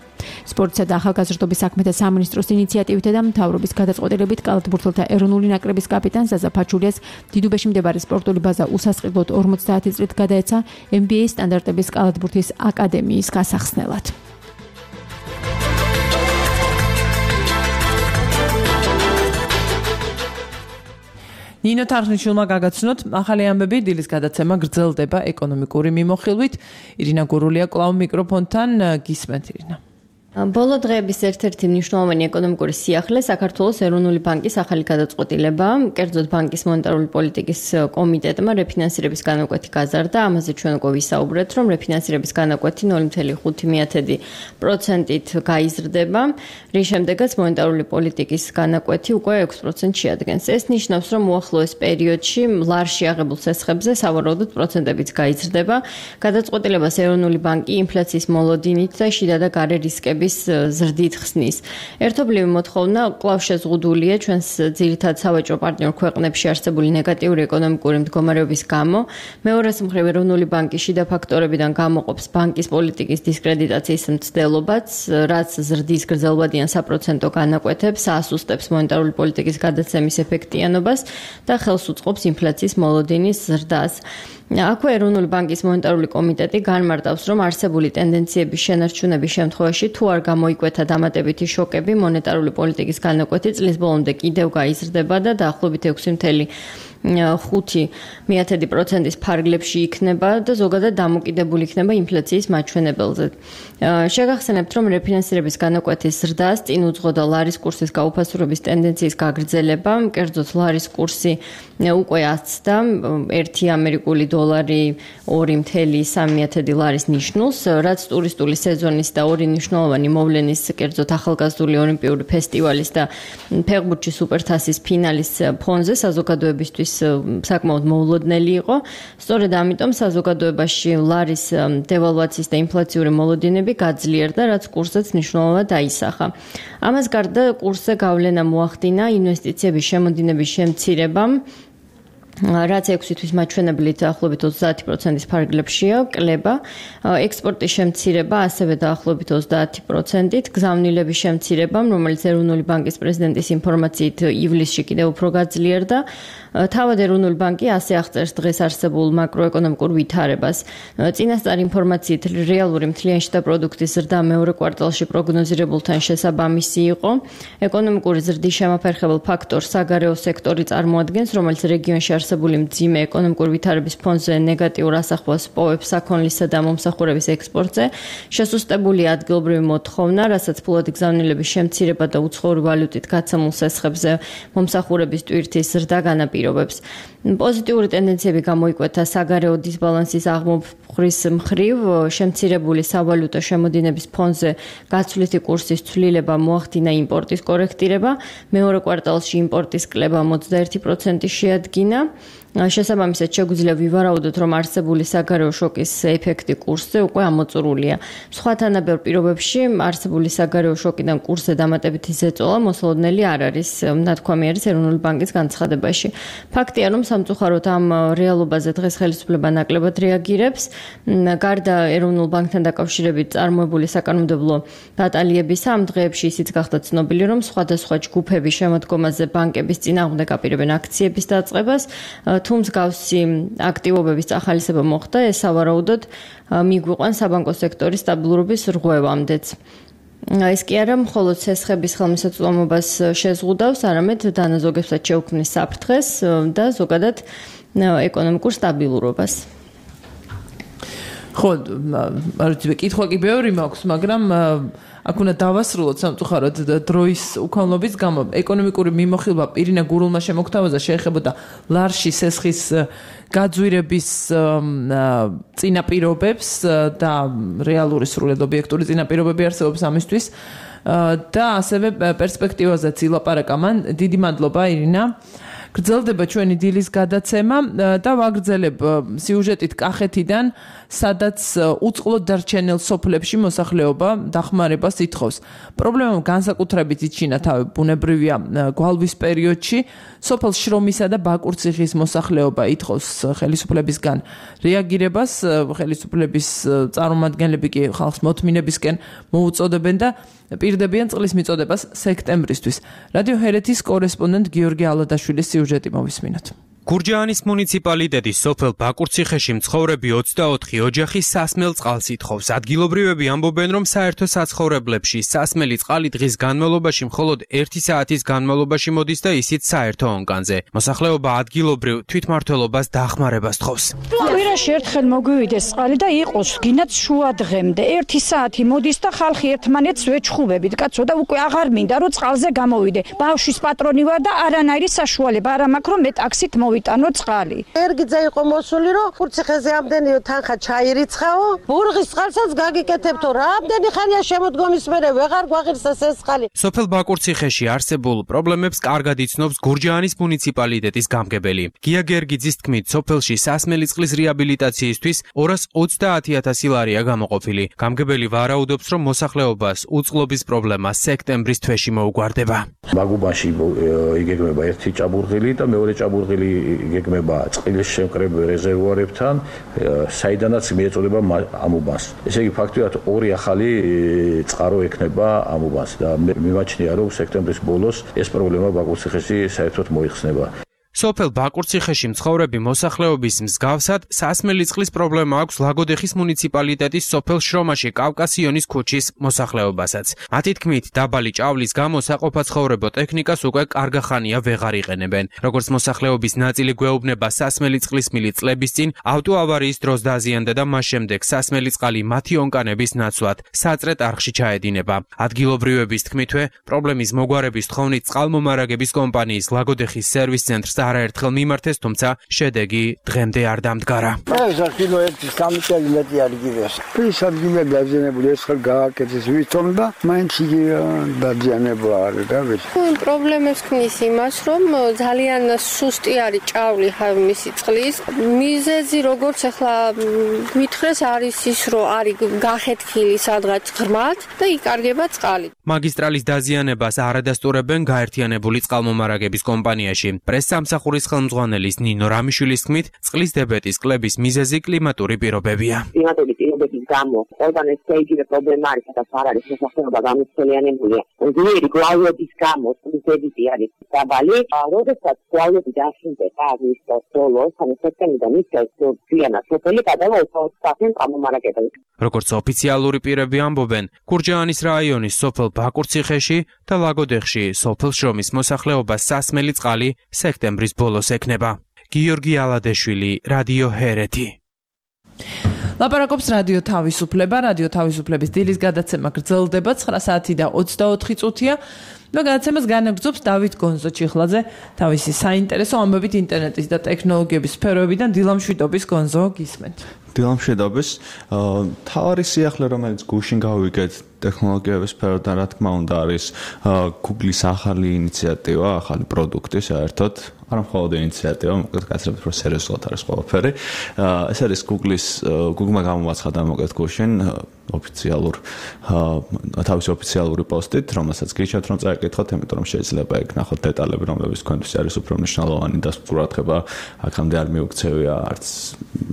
სპორტსა და ახალგაზრდობის საქმეთა სამინისტროს ინიციატივითა და მთავრობის გადაწყვეტილებით კალათბურთელთა ეროვნული ნაკრების კაპიტან ზაზა ფაჩულიას დიდუბეში მდებარე სპორტული ბაზა უსასყიდლოდ 50 წლით გადაეცა NBA სტანდარტების კალათბურთის აკადემიის გასახსნელად. ნინო თარხნიშვილმა გაგაცნოთ ახალი ამბები დილის გადაცემა გრძელდება ეკონომიკური მიმოხილვით ირინა გურულია კლავ მიკროფონთან გისმენთ ირინა ბოლო დღეების ერთ-ერთი მნიშვნელოვანი ეკონომიკური სიახლე საქართველოს ეროვნული ბანკის ახალი გადაწყვეტილება, კერძოდ ბანკის მონეტარული პოლიტიკის კომიტეტმა რეფინანსირების განაკვეთი გაზარდა. ამაზე ჩვენ უკვე ვისაუბრეთ, რომ რეფინანსირების განაკვეთი 0.5%-ით გაიზრდება, რის შემდეგაც მონეტარული პოლიტიკის განაკვეთი უკვე 6% შეადგენს. ეს ნიშნავს, რომ უახლოეს პერიოდში ლარში აღებულ ცესხებზე სავარაუდოდ პროცენტებიც გაიზრდება. გადაწყვეტილებას ეროვნული ბანკი ინფლაციის მოლოდინით და შიდა და გარე რისკების ზრდით ხსნის. ერთობლივი მოთხოვნა კვლავ შეზღუდულია ჩვენს ძირითად სავაჭრო პარტნიორ ქვეყნებში არსებული ნეგატიური ეკონომიკური მდგომარეობის გამო. მეორეს მხრივ ეროვნული ბანკი შიდა ფაქტორებიდან გამოყოფს ბანკის პოლიტიკის დისკრედიტაციის მცდელობაც, რაც ზრდის გრძელვადიან საპროცენტო განაკვეთებს, ასუსტებს მონეტარული პოლიტიკის გადაცემის ეფექტიანობას და ხელს უწყობს ინფლაციის მოლოდინის ზრდას. აქვე ეროვნული ბანკის მონეტარული კომიტეტი განმარტავს, რომ არსებული ტენდენციების შენარჩუნების შემთხვევაში თუ არ გამოიკვეთა დამატებითი შოკები, მონეტარული პოლიტიკის განაკვეთი წლის ბოლომდე კიდევ გაიზრდება და დაახლოებით 6.5%-ის ფარგლებში იქნება და ზოგადად დამოკიდებული იქნება ინფლაციის მაჩვენებელზე. შეგახსენებთ, რომ რეფინანსირების განაკვეთის ზრდას წინ უძღოდა ლარის კურსის გაუფასურების ტენდენციის გაგრძელება, კერძოდ ლარის კურსი უკვე აცდა 1 ამერიკული დოლარი 2.3 ლარის ნიშნულს, რაც ტურისტული სეზონის და ორი მნიშვნელოვანი მოვლენის, კერძოდ ახალგაზრდული ოლიმპიური ფესტივალის და ფეხბურთის სუპერთასის ფინალის ფონზე საზოგადოებისთვის საკმაოდ მოულოდნელი იყო. სწორედ ამიტომ საზოგადოებაში ლარის დევალვაციის და ინფლაციური მოლოდინები გაძლიერდა, რაც კურსზეც მნიშვნელოვნად დაისახა. ამას გარდა კურსზე გავლენა მოახდინა ინვესტიციების შემოდინების შემცირებამ, რაც 6 თვის მაჩვენებლით დაახლოებით 30%-ის ფარგლებშია, კლება, ექსპორტის შემცირება ასევე დაახლოებით 30%-ით, გზავნილების შემცირებამ, რომელიც ეროვნული ბანკის პრეზიდენტის ინფორმაციით ივლისში კიდევ უფრო გაძლიერდა. თავად ეროვნული ბანკი ასე აღწერს დღეს არსებულ მაკროეკონომიკურ ვითარებას. წინასწარ ინფორმაციით რეალური მთლიანი შტა პროდუქტის ზრდა მეორე კვარტალში პროგნოზირებულთან შესაბამისი იყო. ეკონომიკური ზრდის შემაფერხებელ ფაქტორს საგარეო სექტორი წარმოადგენს, რომელიც რეგიონში არსებული მძიმე ეკონომიკური ვითარების ფონზე ნეგატიურ ასახვას პოვებს საქონლისა და მომსახურების ექსპორტზე. შესუსტებული ადგილობრივი მოთხოვნა, რასაც ფულადი გზავნილების შემცირება და უცხოური ვალუტით გაცემულ სესხებზე მომსახურების ტვირთის ზრდა განაპირობებს. პოზიტიური ტენდენციები გამოიკვეთა საგარეო დისბალანსის აღმოფხრის მხრივ, შემცირებული სავალუტო შემოდინების ფონზე გაცვლითი კურსის ცვლილება მოახდინა იმპორტის კორექტირება, მეორე კვარტალში იმპორტის კლება 21% შეადგინა. შესაბამისად შეგვიძლია ვივარაუდოთ, რომ არსებული საგარეო შოკის ეფექტი კურსზე უკვე ამოწურულია. სხვა თანაბარ პირობებში არსებული საგარეო შოკიდან კურსზე დამატებითი ზეწოლა მოსალოდნელი არ არის, ნათქვამი არის ეროვნული ბანკის განცხადებაში. ფაქტია, რომ სამწუხაროდ ამ რეალობაზე დღეს ხელისუფლება ნაკლებად რეაგირებს. გარდა ეროვნულ ბანკთან დაკავშირებით წარმოებული საკანონმდებლო ბატალიებისა, ამ დღეებში ისიც გახდა ცნობილი, რომ სხვადასხვა ჯგუფები შემოდგომაზე ბანკების წინააღმდეგ აპირებენ აქციების დაწყებას, თუმცა გავსი აქტივობების წახალისება მოხდა, ეს სავარაუდოდ მიგვიყვანს საბანკო სექტორის სტაბილურობის რღვევამდეც. ეს კი არა მხოლოდ ცესხების ხელმისაწვდომობას შეზღუდავს, არამედ დანაზოგებსაც შეუქმნის საფრთხეს და ზოგადად ეკონომიკურ სტაბილურობას. ხო, კითხვა კი ბევრი მაქვს, მაგრამ აქ უნდა დავასრულოთ სამწუხაროდ დროის უქონლობის გამო. ეკონომიკური მიმოხილვა პირინა გურულმა შემოგთავაზა შეეხებოდა ლარში სესხის გაძვირების წინაპირობებს და რეალური სრულად ობიექტური წინაპირობები არსებობს ამისთვის და ასევე პერსპექტივაზეც ილაპარაკა მან. დიდი მადლობა ირინა. გრძელდება ჩვენი დილის გადაცემა და ვაგრძელებ სიუჟეტით კახეთიდან, სადაც უწყლოდ დარჩენილ სოფლებში მოსახლეობა დახმარებას ითხოვს. პრობლემამ განსაკუთრებით იჩინა თავი ბუნებრივია გვალვის პერიოდში. სოფელ შრომისა და ბაკურციხის მოსახლეობა ითხოვს ხელისუფლებისგან რეაგირებას, ხელისუფლების წარმომადგენლები კი ხალხს მოთმინებისკენ მოუწოდებენ და პირდებიან წყლის მიწოდებას სექტემბრისთვის. რადიო ჰერეთის კორესპონდენტ გიორგი ალადაშვილის სიუჟეტი მოვისმინოთ. გურჯაანის მუნიციპალიტეტის სოფელ ბაკურციხეში მცხოვრები 24 ოჯახი სასმელ წყალს ითხოვს. ადგილობრივები ამბობენ, რომ საერთო საცხოვრებლებში სასმელი წყალი დღის განმავლობაში მხოლოდ 1 საათის განმავლობაში მოდის და ისიც საერთო ონკანზე. მოსახლეობა ადგილობრივ თვითმმართველობას დახმარებას თხოვს. კვირაში ერთხელ მოგვივიდეს წყალი და იყოს გინდათ შუა დღემდე 1 საათი მოდის და ხალხი ერთმანეთს ვეჩხუბებით. კაცო და უკვე აღარ მინდა რომ წყალზე გამოვიდე. ბავშვის პატრონი ვარ და არანაირი საშუალება არ მაქვს რომ მე ტაქსით მოვიტანო წყალი. ერგიძე იყო მოსული რომ კურციხეზე ამდენი თანხა ჩაირიცხაო. ბურღის წყალსაც გაგიკეთებთო. რამდენი ხანია შემოდგომის მერე ვეღარ გვაღირსეს ეს წყალი. სოფელ ბაკურციხეში არსებულ პრობლემებს კარგად იცნობს გურჯაანის მუნიციპალიტეტის გამგებელი. გია გერგიძის თქმით, სოფელში სასმელი წყლის რეაბილიტაციისთვის 230,000 ლარია გამოყოფილი. გამგებელი ვარაუდობს, რომ მოსახლეობას უწყლობის პრობლემა სექტემბრის თვეში მოუგვარდება. მაგუბანში იგეგმება ერთი ჭაბურღილი და მეორე ჭაბურღილი იგეგმება წყლის შემკრებ რეზერვუარებთან, საიდანაც მიეწოდება ამუბანს. ესე იგი ფაქტობრივად ორი ახალი წყარო ექნება ამუბანს და მიმაჩნია, რომ სექტემბრის ბოლოს ეს პრობლემა ბაკურციხეში საერთოდ მოიხსნება. სოფელ ბაკურციხეში მცხოვრები მოსახლეობის მსგავსად სასმელი წყლის პრობლემა აქვს ლაგოდეხის მუნიციპალიტეტის სოფელ შრომაში კავკასიონის ქუჩის მოსახლეობასაც. მათი თქმით, დაბალი ჭავლის გამო საყოფაცხოვრებო ტექნიკას უკვე კარგა ხანია ვეღარ იყენებენ. როგორც მოსახლეობის ნაწილი გვეუბნება, სასმელი წყლის მილი წლების წინ ავტოავარიის დროს დაზიანდა და მას შემდეგ სასმელი წყალი მათი ონკანების ნაცვლად საწრეთ არხში ჩაედინება. ადგილობრივების თქმითვე, პრობლემის მოგვარების თხოვნით წყალმომარაგების კომპანიის ლაგოდეხის სერვის ცენტრს არაერთხელ მიმართეს, თუმცა შედეგი დღემდე არ დამდგარა. ეს კილო 1 წელი მეტი არ გივეს. ის ადგილები დაზიანებული ეს ხელ გააკეთეს ვითომ და მაინც იგი დაზიანება არის და ვიცი. პრობლემებს ქმნის იმას, რომ ძალიან სუსტი არის ჭავლი მისი წყლის. მიზეზი როგორც ახლა გვითხრეს არის ის, რომ არის გახეთქილი სადღაც ღრმად და იკარგება წყალი. მაგისტრალის დაზიანებას არ ადასტურებენ გაერთიანებული წყალმომარაგების კომპანიაში. პრესსამსახურის ხელმძღვანელის ნინო რამიშვილის თქმით, წყლის დებეტის კლების მიზეზი კლიმატური პირობებია. კლიმატური პირობების გამო ყველგან ეს შეიძლება პრობლემა არის, სადაც არ არის მოსახლეობა გამოცდილიანებულია. ძლიერი გვალვების გამო წყლის დებიტი არის დაბალი. როდესაც გვალვები დაშინდება აგვისტოს ბოლოს, ანუ სექტემბრიდან ისევ ძიანა სოფელი გადავა 20% წყალმომარაგებელს. როგორც ოფიციალური პირები ამბობენ, გურჯაანის რაიონის სოფელ ბაკურციხეში და ლაგოდეხში სოფელ შრომის მოსახლეობას სასმელი წყალი სექტემბრის ბოლოს ექნება. გიორგი ალადეშვილი, რადიო ჰერეთი. ლაპარაკობს რადიო თავისუფლება. რადიო თავისუფლების დილის გადაცემა გრძელდება 9 საათი და 24 წუთია. და გადაცემას განაგრძობს დავით გონზო-ჩიხლაძე თავისი საინტერესო ამბებით ინტერნეტის და ტექნოლოგიების სფეროებიდან. დილამშვიდობის გონზო, გისმენთ. დილამშვიდობის. თავარი სიახლე, რომელიც გუშინ გავიგეთ ტექნოლოგიების სფეროდან, რა თქმა უნდა, არის Google-ის ახალი ინიციატივა, ახალი პროდუქტი საერთოდ. არა მხოლოდ ინიციატივა, მოკლედ გაცილებით უფრო სერიოზულად არის ყველაფერი. ეს არის Google-მა გამოაცხადა მოკლედ გუშინ თავისი ოფიციალური პოსტით, რომელსაც გიჩვენებთ რომ წაიკითხოთ, იმიტომ რომ შეიძლება ეგ ნახოთ დეტალები, რომლებიც თქვენთვის არის უფრო მნიშვნელოვანი და ყურადღება აქამდე არ მიუქცევია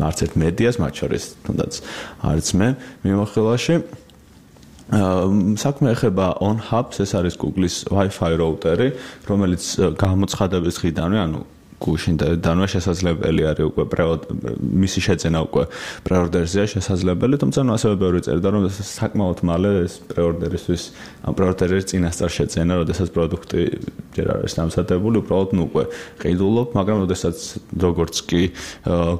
არც ერთ მედიას, მათ შორის თუნდაც არც მე მიმოხილვაში. საქმე ეხება OnHubs, ეს არის Google-ის Wi-Fi რაუტერი, რომელიც გამოცხადების დღიდანვე, ანუ გუშინდანვე შესაძლებელი არის უკვე მისი შეძენა უკვე პრეორდერზეა შესაძლებელი, თუმცა ასევე ბევრი წერდა რომ საკმაოდ მალე ეს პრეორდერის წინასწარ შეძენა, როდესაც პროდუქტი ჯერ არის დამზადებული, უბრალოდ უკვე ყიდულობ, მაგრამ როდესაც როგორც კი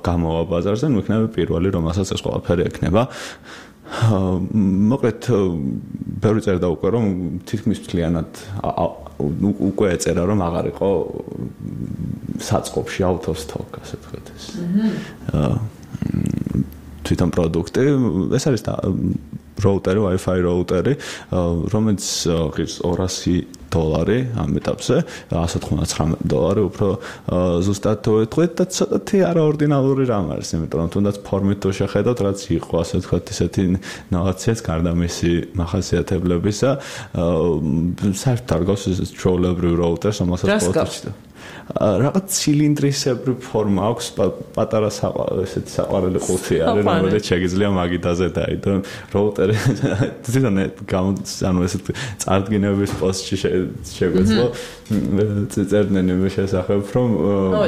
გამოვა ბაზარზე, იქნება პირველი, რომელსაც ეს ყველაფერი ექნება. მოკლედ ბევრი წერდა უკვე რომ თითქმის მთლიანად უკვე ეწერა რომ აღარ იყო საწყობში out of stock, ასე ვთქვათ ეს. თვითონ პროდუქტი, ეს არის რაუტერი, Wi-Fi რაუტერი, რომელიც ღირს $200 ამ ეტაპზე, $199 უფრო ზუსტად ვეთქვით და ცოტათი არაორდინალური რამ არის, იმიტომ რომ თუნდაც ფორმით თუ შეხედოთ, რაც იყო, ასე ვთქვათ, ისეთი ნოვაციაც გარდა მისი მახასიათებლებისა, საერთოდ არ გავს ეს ჩვეულებრივ რაუტერს, რომელსაც ყოველთვის რაღაც ცილინდრისებრი ფორმა აქვს, პატარა ესეთი საყვარელი ყუთი არის, რომელიც შეგიძლია მაგიდაზე დაიდო. რაუტერი თვითონ ანუ ესეთ წარდგინების პოსტში შეგვეძლო წერდნენ იმის შესახებ, რომ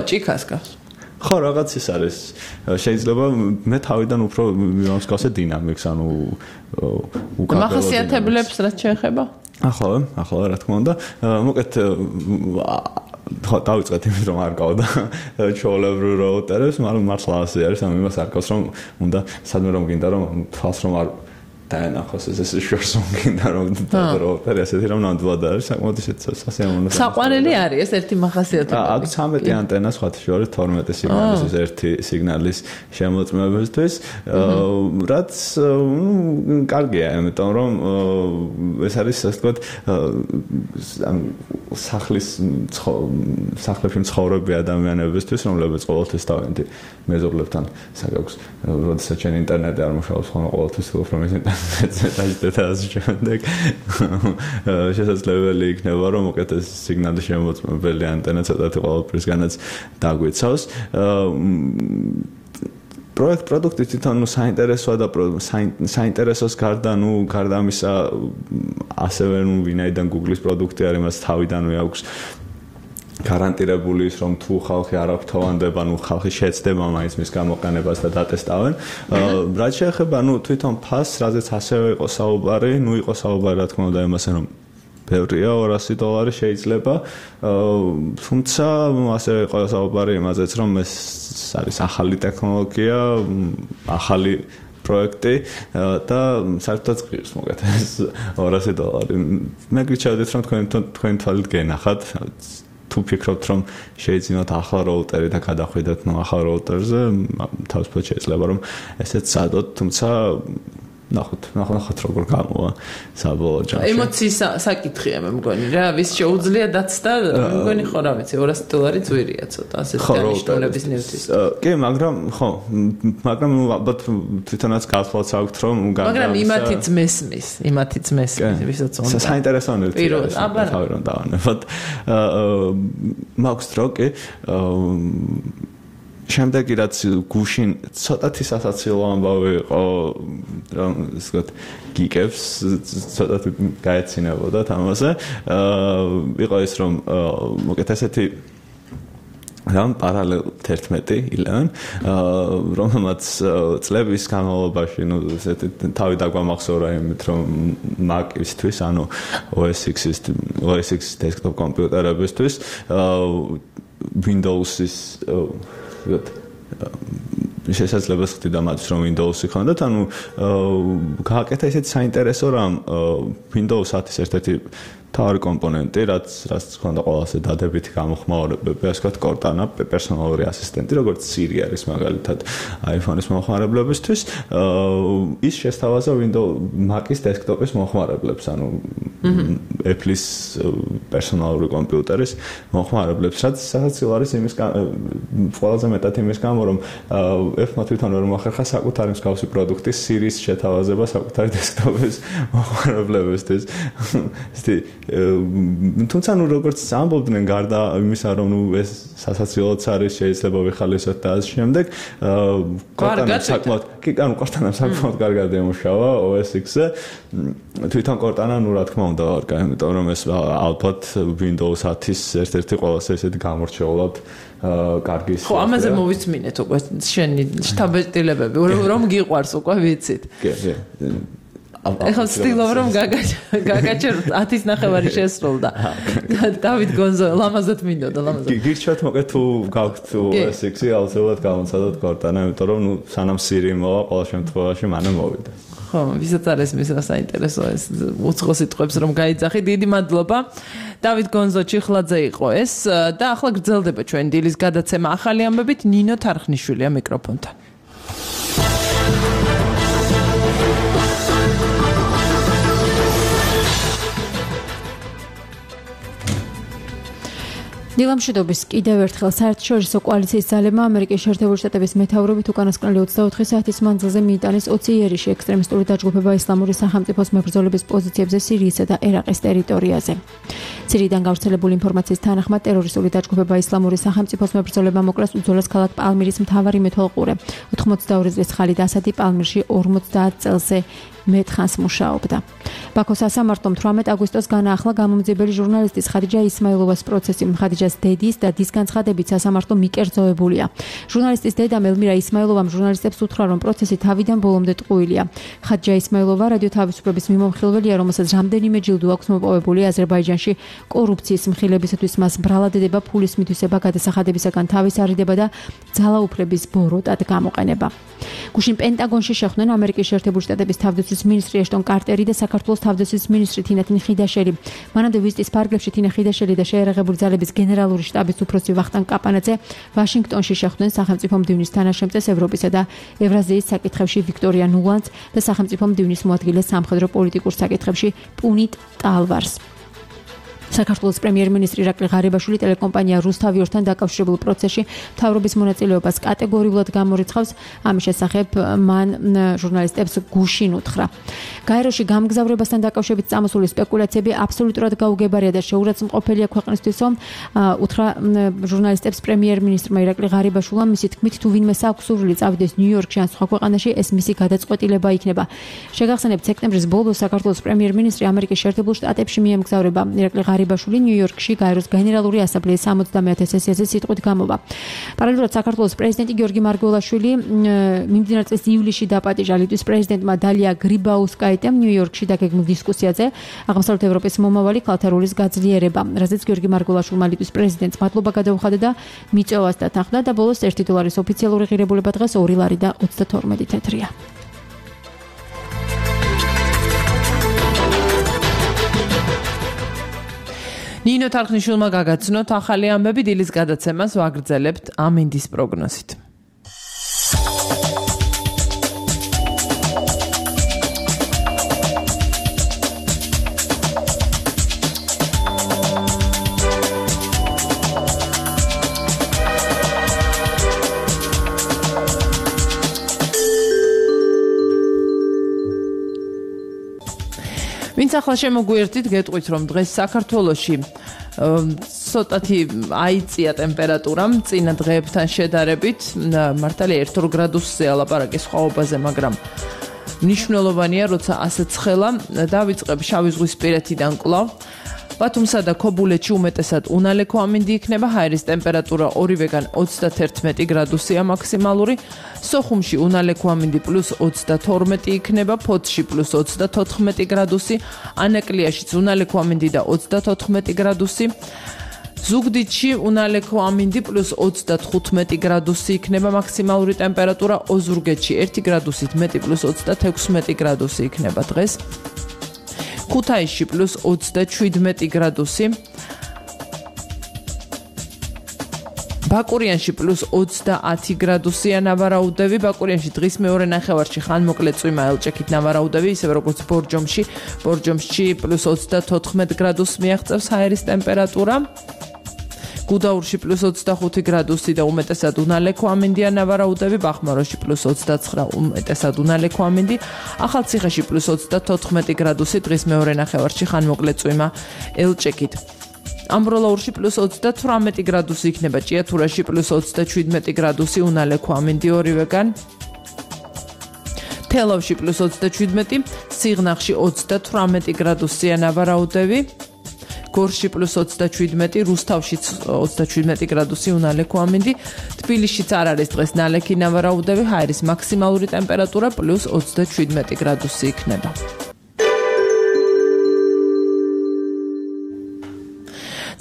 ჭიქას გავს. ხო, რაღაც ის არის. შეიძლება მე თავიდან უფრო მიმსგავსე დინამიკს, ანუ უკანონო მახასიათებლებს რაც შეეხება? ახლა რა თქმა უნდა, მოკლედ დავიწყეთ იმით რომ არ გავდა ჩვეულებრივ რაუტერებს, მაგრამ მართლა ასე არის, ამ იმას არ გავს რომ უნდა სადმე რომ გინდა რომ თვალს რომ არ დაენახოს ეს შორს გინდა რომ რაუტერი ასეთი რომ ნამდვილად არის, საკმაოდ ისეთ სასიამოვნო. საყვარელი არის ეს ერთი მახასიათებელი. აქ 13 ანტენა სხვათა შორის 12 სიგნალის ერთი სიგნალის შემოწმებისთვის, რაც კარგია, იმიტომ რომ ეს არის ასე ვთქვათ სახლებში მცხოვრები ადამიანებისთვის, რომლებიც ყოველთვის თავიანთი მეზობლებთან საგაქვს, როდესაც ჩვენ ინტერნეტი არ მუშაობს, ხოლმე ყოველთვის ვფიქრობ რომ შესაძლებელი იქნება რომ უკეთ ეს სიგნალი შემოწმებელი ანტენა ცოტათი ყოველდღიურადაც დაგვიცავს. პროდუქტი თვითონ საინტერესოა და საინტერესოს გარდა ამისა ასევე ვინაიდან Google-ის პროდუქტი არის, მას თავიდანვე აქვს გარანტირებული ის რომ თუ ხალხი არ აქვს თავანდება, ხალხი შეეცდება მაინც მის გამოყენებას და დატესტავენ. რაც შეეხება თვითონ ფასს, რაზეც ასევე იყო საუბარი, იყო საუბარი რა თქმა უნდა იმასე რომ ბევრია $200 შეიძლება, თუმცა ასევე იყო საუბარი იმაზეც რომ ეს არის ახალი ტექნოლოგია, ახალი პროექტი და საერთოდ ღირს მოგეთ ეს $200. მე გიჩვენებთ რომ თქვენ თვალით გენახათ, თუ ფიქრობთ რომ შეიძინოთ ახლა რაუტერი და გადახვიდეთ ახალ რაუტერზე, თავისუფლად შეიძლება რომ ესეც სადოთ, თუმცა ნახოთ როგორ გამოვა საბოლოო ჯამში. ემოციის საკითხია მე მგონი რა, ვის შეუძლია დაცდა, მე მგონი ხო რა ვიცი, $200 ძვირია ცოტა ასეთი დანიშნულების ნივთის. კი, მაგრამ ალბათ თვითონაც გასვლაც აქვს რომ მაგრამ იმათიც მესმის, ვისაც უნდა. საინტერესო ნივთია. თავი რომ დავანებოთ. მაქვს დრო კი შემდეგი რაც გუშინ ცოტათი სასაცილო ამბავი იყო, რომ ისე ვთქვათ, გიკებს ცოტათი გაეცინებოდა თამაზე. იყო ის რომ მოკეთ ესეთი რამ პარალელ 11 რომელმაც წლების განმავლობაში ესეთი თავი დაგვამახსოვრა იმით რომ Mac-ისთვის, ანუ OS X desktop კომპიუტერებისთვის Windows-ის შესაძლებას ხდიდა მათ რომ Windows-ი ხონდათ, ანუ გააკეთა ისეთი საინტერესო რამ Windows 10-ის ერთ-ერთი თავი კომპონენტი, რაც ხონდა ყველაზე დადებითი გამოხმაურებები, ასე ვთქვათ, Cortana პერსონალური ასისტენტი, როგორც Siri არის მაგალითად iPhone-ის მოხმარებლებისთვის, ის შესთავაზა Mac-ის დესკტოპის მოხმარებლებს, ანუ Apple-ის პერსონალური კომპიუტერის მოხმარებლებს, რაც საოცარ არის იმის ყველაზე მეტად იმის გამო, რომ Apple-მა თვითონ ვერ მოახერხა საკუთარი მსგავსი პროდუქტის Siri-ის შეთავაზება საკუთარი დესკტოპის მოხმარებლებისთვის. თუმცა როგორც ამბობდნენ გარდა იმისა რომ ეს სასაცილოც არის შეიძლება ვიხალისოთ და ამ შემდეგ Cortana საკმაოდ კარგად ემუშავა OS X-ზე თვითონ Cortana რა თქმა უნდა ვარკა იმიტომ რომ ეს ალბათ Windows 10-ის ერთ-ერთი ყველაზე ესეთი გამორჩეულად კარგი ხო ამაზე მოვისმინეთ უკვე შენი შტაბეტილებები რომ გიყვარს უკვე ვიცით კი ეხლა ვცდილობ რომ გაგაჩეროთ 10-ის ნახევარი შესრულდა. დავით გონზო ლამაზად მინდოდა ლამაზად. გირჩევთ მოკეთ თუ გაქვთ SX-ი აუცილებლად გამოცადოთ Cortana, იმიტომ რომ სანამ Siri მოვა ყოველ შემთხვევაში მანამ მოვიდა. ხო, ვისაც არის მის რა საინტერესო ეს უცხო სიტყვებს რომ გაიძახი. დიდი მადლობა. დავით გონზო ჩიხლაძე იყო ეს და ახლა გრძელდება ჩვენ დილის გადაცემა ახალი ამბებით ნინო თარხნიშვილია მიკროფონთან. დილამშვიდობის კიდევ ერთხელ საერთაშორისო კოალიციის ძალებმა ამერიკის შეერთებული შტატების მეთაურობით უკანასკნელი 24 საათის მანძილზე მიიტანეს 20 იერიში ექსტრემისტული დაჯგუფება ისლამური სახელმწიფოს მებრძოლების პოზიციებზე სირიისა და ერაყის ტერიტორიაზე. სირიიდან გავრცელებული ინფორმაციის თანახმად ტერორისტული დაჯგუფება ისლამური სახელმწიფოს მებრძოლებმა მოკლეს უძველეს ქალაქ პალმირის მთავარი მეთვალყურე. 82 წლის ხალიდ ასადი პალმირში 50 წელზე მეტხანს მუშაობდა. ბაქოს სასამართლომ 18 აგვისტოს განაახლა გამომძიებელი ჟურნალისტის ხადიჯა ისმაილოვას პროცესი. ხადიჯას დედის და დის განცხადებით სასამართლო მიკერძოებულია. ჟურნალისტის დედამ ელმირა ისმაილოვამ ჟურნალისტებს უთხრა, რომ პროცესი თავიდან ბოლომდე ტყუილია. ხადიჯა ისმაილოვა რადიო თავისუფლების მიმომხილველია, რომელსაც რამდენიმე ჯილდო აქვს მოპოვებული აზერბაიჯანში კორუფციის მხილებისათვის მას ბრალადდება, ფულის მითვისება, გადასახადებისაგან თავის არიდება და ძალაუფლების ბოროტად გამოყენება. გუშინ პენტაგონში შეხვდნენ ამერიკის შეერთებული შტატების თავდაცვის მინისტრი ეშტონ კარტერი და საქართველოს თავდაცვის მინისტრი თინათინ ხიდაშელი. მანამდე ვიზიტის ფარგლებში თინა ხიდაშელი და შეერაღებული ძალების გენერალური შტაბის უფროსი ვახტანგ კაპანაძე ვაშინგტონში შეხვდნენ სახელმწიფო მდივნის თანაშემწეს ევროპისა და ევრაზიის საკითხებში ვიქტორია ნულანდს და სახელმწიფო მდივნის მოადგილე სამხედრო პოლიტიკურ საკითხებში პუნიტ ტალვარს. საქართველოს პრემიერ-მინისტრი ირაკლი ღარიბაშვილი ტელეკომპანია რუსთავიორთან დაკავშირებულ პროცესში მთავრობის მონაწილეობას კატეგორიულად გამორიცხავს. ამის შესახებ მან ჟურნალისტებს გუშინ უთხრა. გაეროში გამგზავრებასთან დაკავშირებით წამოსული სპეკულაციები აბსოლუტურად გაუგებარია და შეურაცხმყოფელია ქვეყნისთვის, უთხრა ჟურნალისტებს პრემიერ-მინისტრმა ირაკლი ღარიბაშვილმა. მისი თქმით, თუ ვინმე აქვს სურვილი წავიდეს ნიუ-იორკში ან სხვა ქვეყანაში, ეს მისი გადაწყვეტილება იქნება. შეგახსენებთ, სექტემბრის ბოლოს საქართველოს პრემიერ-მინისტრი ამერიკის შეერთებულ შტატებში მიემგზავრება. ირაკლი ღარიბაშვილი ნიუ-იორკში გაეროს გენერალური ასამბლეის 60-მე სესიაზე სიტყვით გამოვა. პარალელურად საქართველოს პრეზიდენტი გიორგი მარგველაშვილი მიმდინარე წლის ივლისში დაპატიჟა ლიტვის პრეზიდენტმა დალია გრიბაუსკაიტემ ნიუ-იორკში დაგეგმილ დისკუსიაზე აღმოსავლეთ ევროპის მომავალი ქალთა როლის გაძლიერება, რაზეც გიორგი მარგველაშვილმა ლიტვის პრეზიდენტს მადლობა გადაუხადა და მიწვევას დათანხმდა და ბოლოს 1 დოლარის ოფიციალური ღირებულება დღეს 2 ლარი და 32 თეთრია. ნინო თარხნიშვილმა გაგაცნოთ ახალი ამბები დილის გადაცემას ვაგრძელებთ ამინდის პროგნოზით. ვინც ახლა შემოგვიერთით, გეტყვით, რომ დღეს საქართველოში ცოტათი აიწია ტემპერატურა წინა დღეებთან შედარებით, მართალია 1-2 გრადუსზე ალაპარაკის სხვაობაზე, მაგრამ მნიშვნელოვანია, როცა ასე ცხელა დავიწყებ შავიზღვისპირეთიდან კვლავ. ბათუმსა და ქობულეთში უმეტესად უნალექო ამინდი იქნება, ჰაერის ტემპერატურა ორივეგან 31 გრადუსია მაქსიმალური, სოხუმში უნალექო ამინდი +22 იქნება, ფოთში +34 გრადუსი, ანაკლიაშიც უნალექო ამინდი და 34 გრადუსი, ზუგდიდში უნალექო ამინდი +35 გრადუსი იქნება მაქსიმალური ტემპერატურა, ოზურგეთში 1 გრადუსით მეტი +36 გრადუსი იქნება დღეს. ქუთაისში +27 გრადუსი, ბაკურიანში +30 გრადუსია ნავარაუდები, ბაკურიანში დღის მეორე ნახევარში ხანმოკლე წვიმა ელჭექით ნავარაუდები, ისევე როგორც ბორჯომში +34 გრადუსს მიაღწევს ჰაერის ტემპერატურა. გუდაურში +25 გრადუსი და უმეტესად უნალექო ამინდია ნავარაუდები, ბახმაროში +29 უმეტესად უნალექო ამინდი, ახალციხეში +34 გრადუსი დღის მეორე ნახევარში ხანმოკლე წვიმა ელჭექით. ამბროლაურში +38 გრადუსი იქნება, ჭიათურაში +27 გრადუსი უნალექო ამინდი ორივეგან. თელავში +27, სიღნაღში 28 გრადუსია ნავარაუდები. გორში +27, რუსთავში 27 გრადუსი უნალექო ამინდი, თბილისშიც არ არის დღეს ნალექი ნავარაუდები, ჰაერის მაქსიმალური ტემპერატურა +27 გრადუსი იქნება.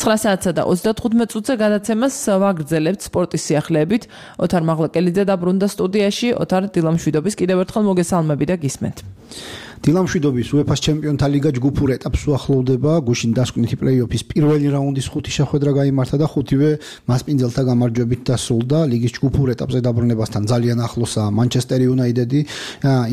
საათსა და 35 წუთზე გადაცემას ვაგრძელებთ სპორტის სიახლეებით. ოთარ მაღლაკელიძე დაბრუნდა სტუდიაში, ოთარ დილამშვიდობის კიდევ ერთხელ მოგესალმები და გისმენთ. დილამშვიდობის UEFA-ს ჩემპიონთა ლიგა ჯგუფურ ეტაპს უახლოვდება. გუშინ დასკვნითი პლეი-ოფის პირველი რაუნდის 5 შეხვედრა გაიმართა და 5-ვე მასპინძელთა გამარჯვებით დასრულდა. ლიგის ჯგუფურ ეტაპზე დაბრუნებასთან ძალიან ახლოსაა მანჩესტერ იუნაიტედი.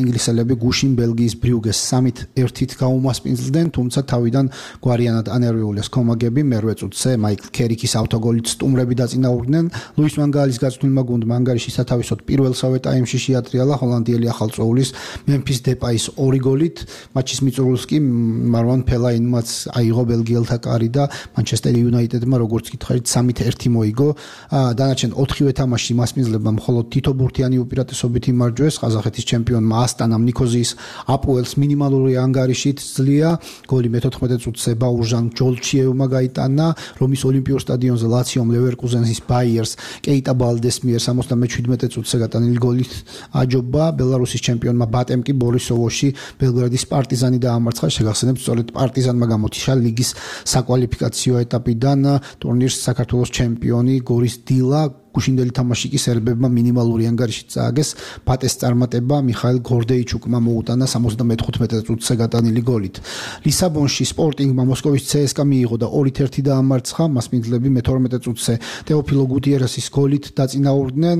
ინგლისელები გუშინ ბელგიის ბრიუგეს 3-1-ით გაუმასპინძლდნენ, თუმცა თავიდან გვარიანად ანერვიულეს კომაგები მერვე წუთზე მაიკლ კერიკის ავტოგოლით სტუმრები დაწინაურდნენ. ლუის ვანგალის გაწვრთნილმა გუნდმა ანგარიში სათავისოდ პირველსავე ტაიმში შეატრიალა ჰოლანდიელი ახალწოვლის მემფის დეპაის 2 გოლით. მატჩის მიწურულს კი მარვან ფელაინმაც აიღო ბელგიელთა კარი და მანჩესტერ იუნაიტედმა როგორც გითხარით 3-1 მოიგო. დანარჩენ 4-ვე თამაშში მასპინძლებმა მხოლოდ თითო ბურთიანი უპირატესობით იმარჯვეს. ყაზახეთის ჩემპიონმა ასტანამ ნიქოზიის აპოელს მინიმალური ანგარიშით ძლია. გოლი მე-14 წუთზე ბაურჟან ჯოლჩიევმა გაიტანა. რომის ოლიმპიურ სტადიონზე ლაციომ ლევერკუზენის ბაიერს კეიტა ბალდეს მიერ 77 წუთზე გატანილი გოლით აჯობა. ბელარუსის ჩემპიონმა ბატემ კი ბორისოვოში ბელგრადის პარტიზანი დაამარცხა. შეგახსენებთ, სწორედ პარტიზანმა გამotişა ლიგის საკვალიფიკაციო ეტაპიდან ტურნირს საქართველოს ჩემპიონი გორის დილა. გუშინდელი თამაში კი სერბებმა მინიმალური ანგარიშით წააგეს. პატეს წარმატება მიხაილ გორდეიჩუკმა მოუტანა 75 წუთზე გატანილი გოლით. ლისაბონში სპორტინგმა მოსკოვის CSKA მიიღო და 2-1 დაამარცხა. მასპინძლები მე-12 წუთზე ტეოფილო გუტიერესის გოლით დაწინაურდნენ.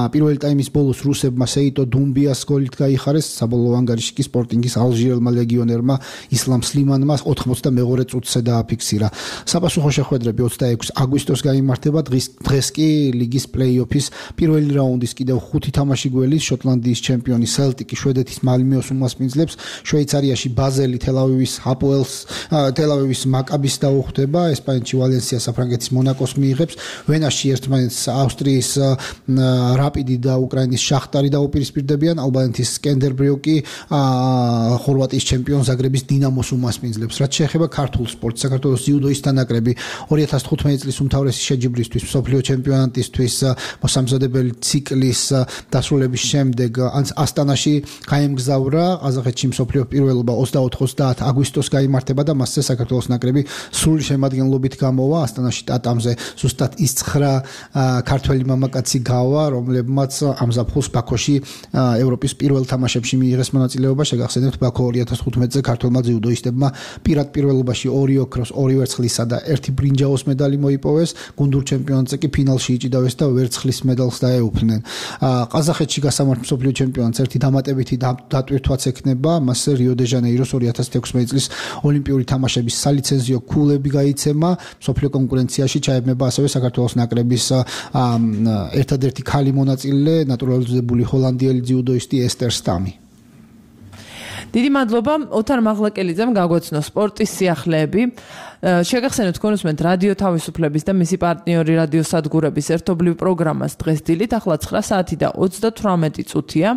პირველი ტაიმის ბოლოს რუსებმა სეიტო დუმბიას გოლით გაიხარეს. საბოლოო ანგარიში კი სპორტინგის ალჟირელმა ლეგიონერმა ისლამ სლიმანმა 82 წუთზე დააფიქსირა. საპასუხო შეხვედრები 26 აგვისტოს გაიმართება. დღეს კი ლიგის პლეი-ოფის პირველი რაუნდის კიდევ 5 თამაში გველის შოტლანდიის ჩემპიონი სელტიკი შვედეთის მალმეოს უმასპინძლებს. შვეიცარიაში ბაზელი თელ-ავივის აპოელს თელ-ავივის მაკაბის დაუხვდება. ესპანეთში ვალენსია საფრანგეთის მონაკოს მიიღებს. ვენაში ერთმანეთს ავსტრიის რაპიდი და უკრაინის შახტარი დაუპირისპირდებიან. ალბანეთის სკენდერბრიუკი ხორვატიის ჩემპიონ ზაგრების დინამოს უმასპინძლებს. რაც შეეხება ქართულ სპორტს, საქართველოს ძიუდოის თანაკრები 2015 წლის უმთავრესი შეჯიბრისთვის მსოფლიო ჩემპიონატის მოსამზადებელი ციკლის დასრულების შემდეგ ასტანაში გაემგზავრა. ყაზახეთში მსოფლიო პირველობა 24-30 აგვისტოს გაიმართება და მასზე საქართველოს ნაკრები სრული შემადგენლობით გამოვა. ასტანაში ტატამზე ზუსტად ის 9 ქართველი მამაკაცი გავა, რომლებმაც ამ ზაფხულს ბაქოში ევროპის პირველ თამაშებში მიიღეს მონაწილეობა. შეგახსენებთ, ბაქო 2015-ზე ქართველმა ძიუდოისტებმა პირად პირველობაში 2 ოქროს, 2 ვერცხლისა და 1 ბრინჯაოს მედალი მოიპოვეს. გუნდურ ჩემპიონატზე კი ფინალში იჭიდავეს და ვერცხლის მედალს დაეუფლნენ. ყაზახეთში გასამართ მსოფლიო ჩემპიონატს ერთი დამატებითი დატვირთვაც ექნება. მასზე რიო დე ჟანეიროს 2016 წლის ოლიმპიური თამაშების სალიცენზიო ქულები გაიცემა. მსოფლიო კონკურენციაში ჩაებმება ასევე საქართველოს ნაკრების ერთადერთი ქალი მონაწილე, ნატურალიზებული ჰოლანდიელი ძიუდოისტი ესტერ სტამი. დიდი მადლობა ოთარ მაღლაკელიძემ გაგვეცნო სპორტის სიახლეები. შეგახსენებთ კონსუმენტ რადიო თავისუფლების და მისი პარტნიორი რადიო სადგურების ერთობლივ პროგრამას დღეს დილით ახლა 9 საათი და 38 წუთია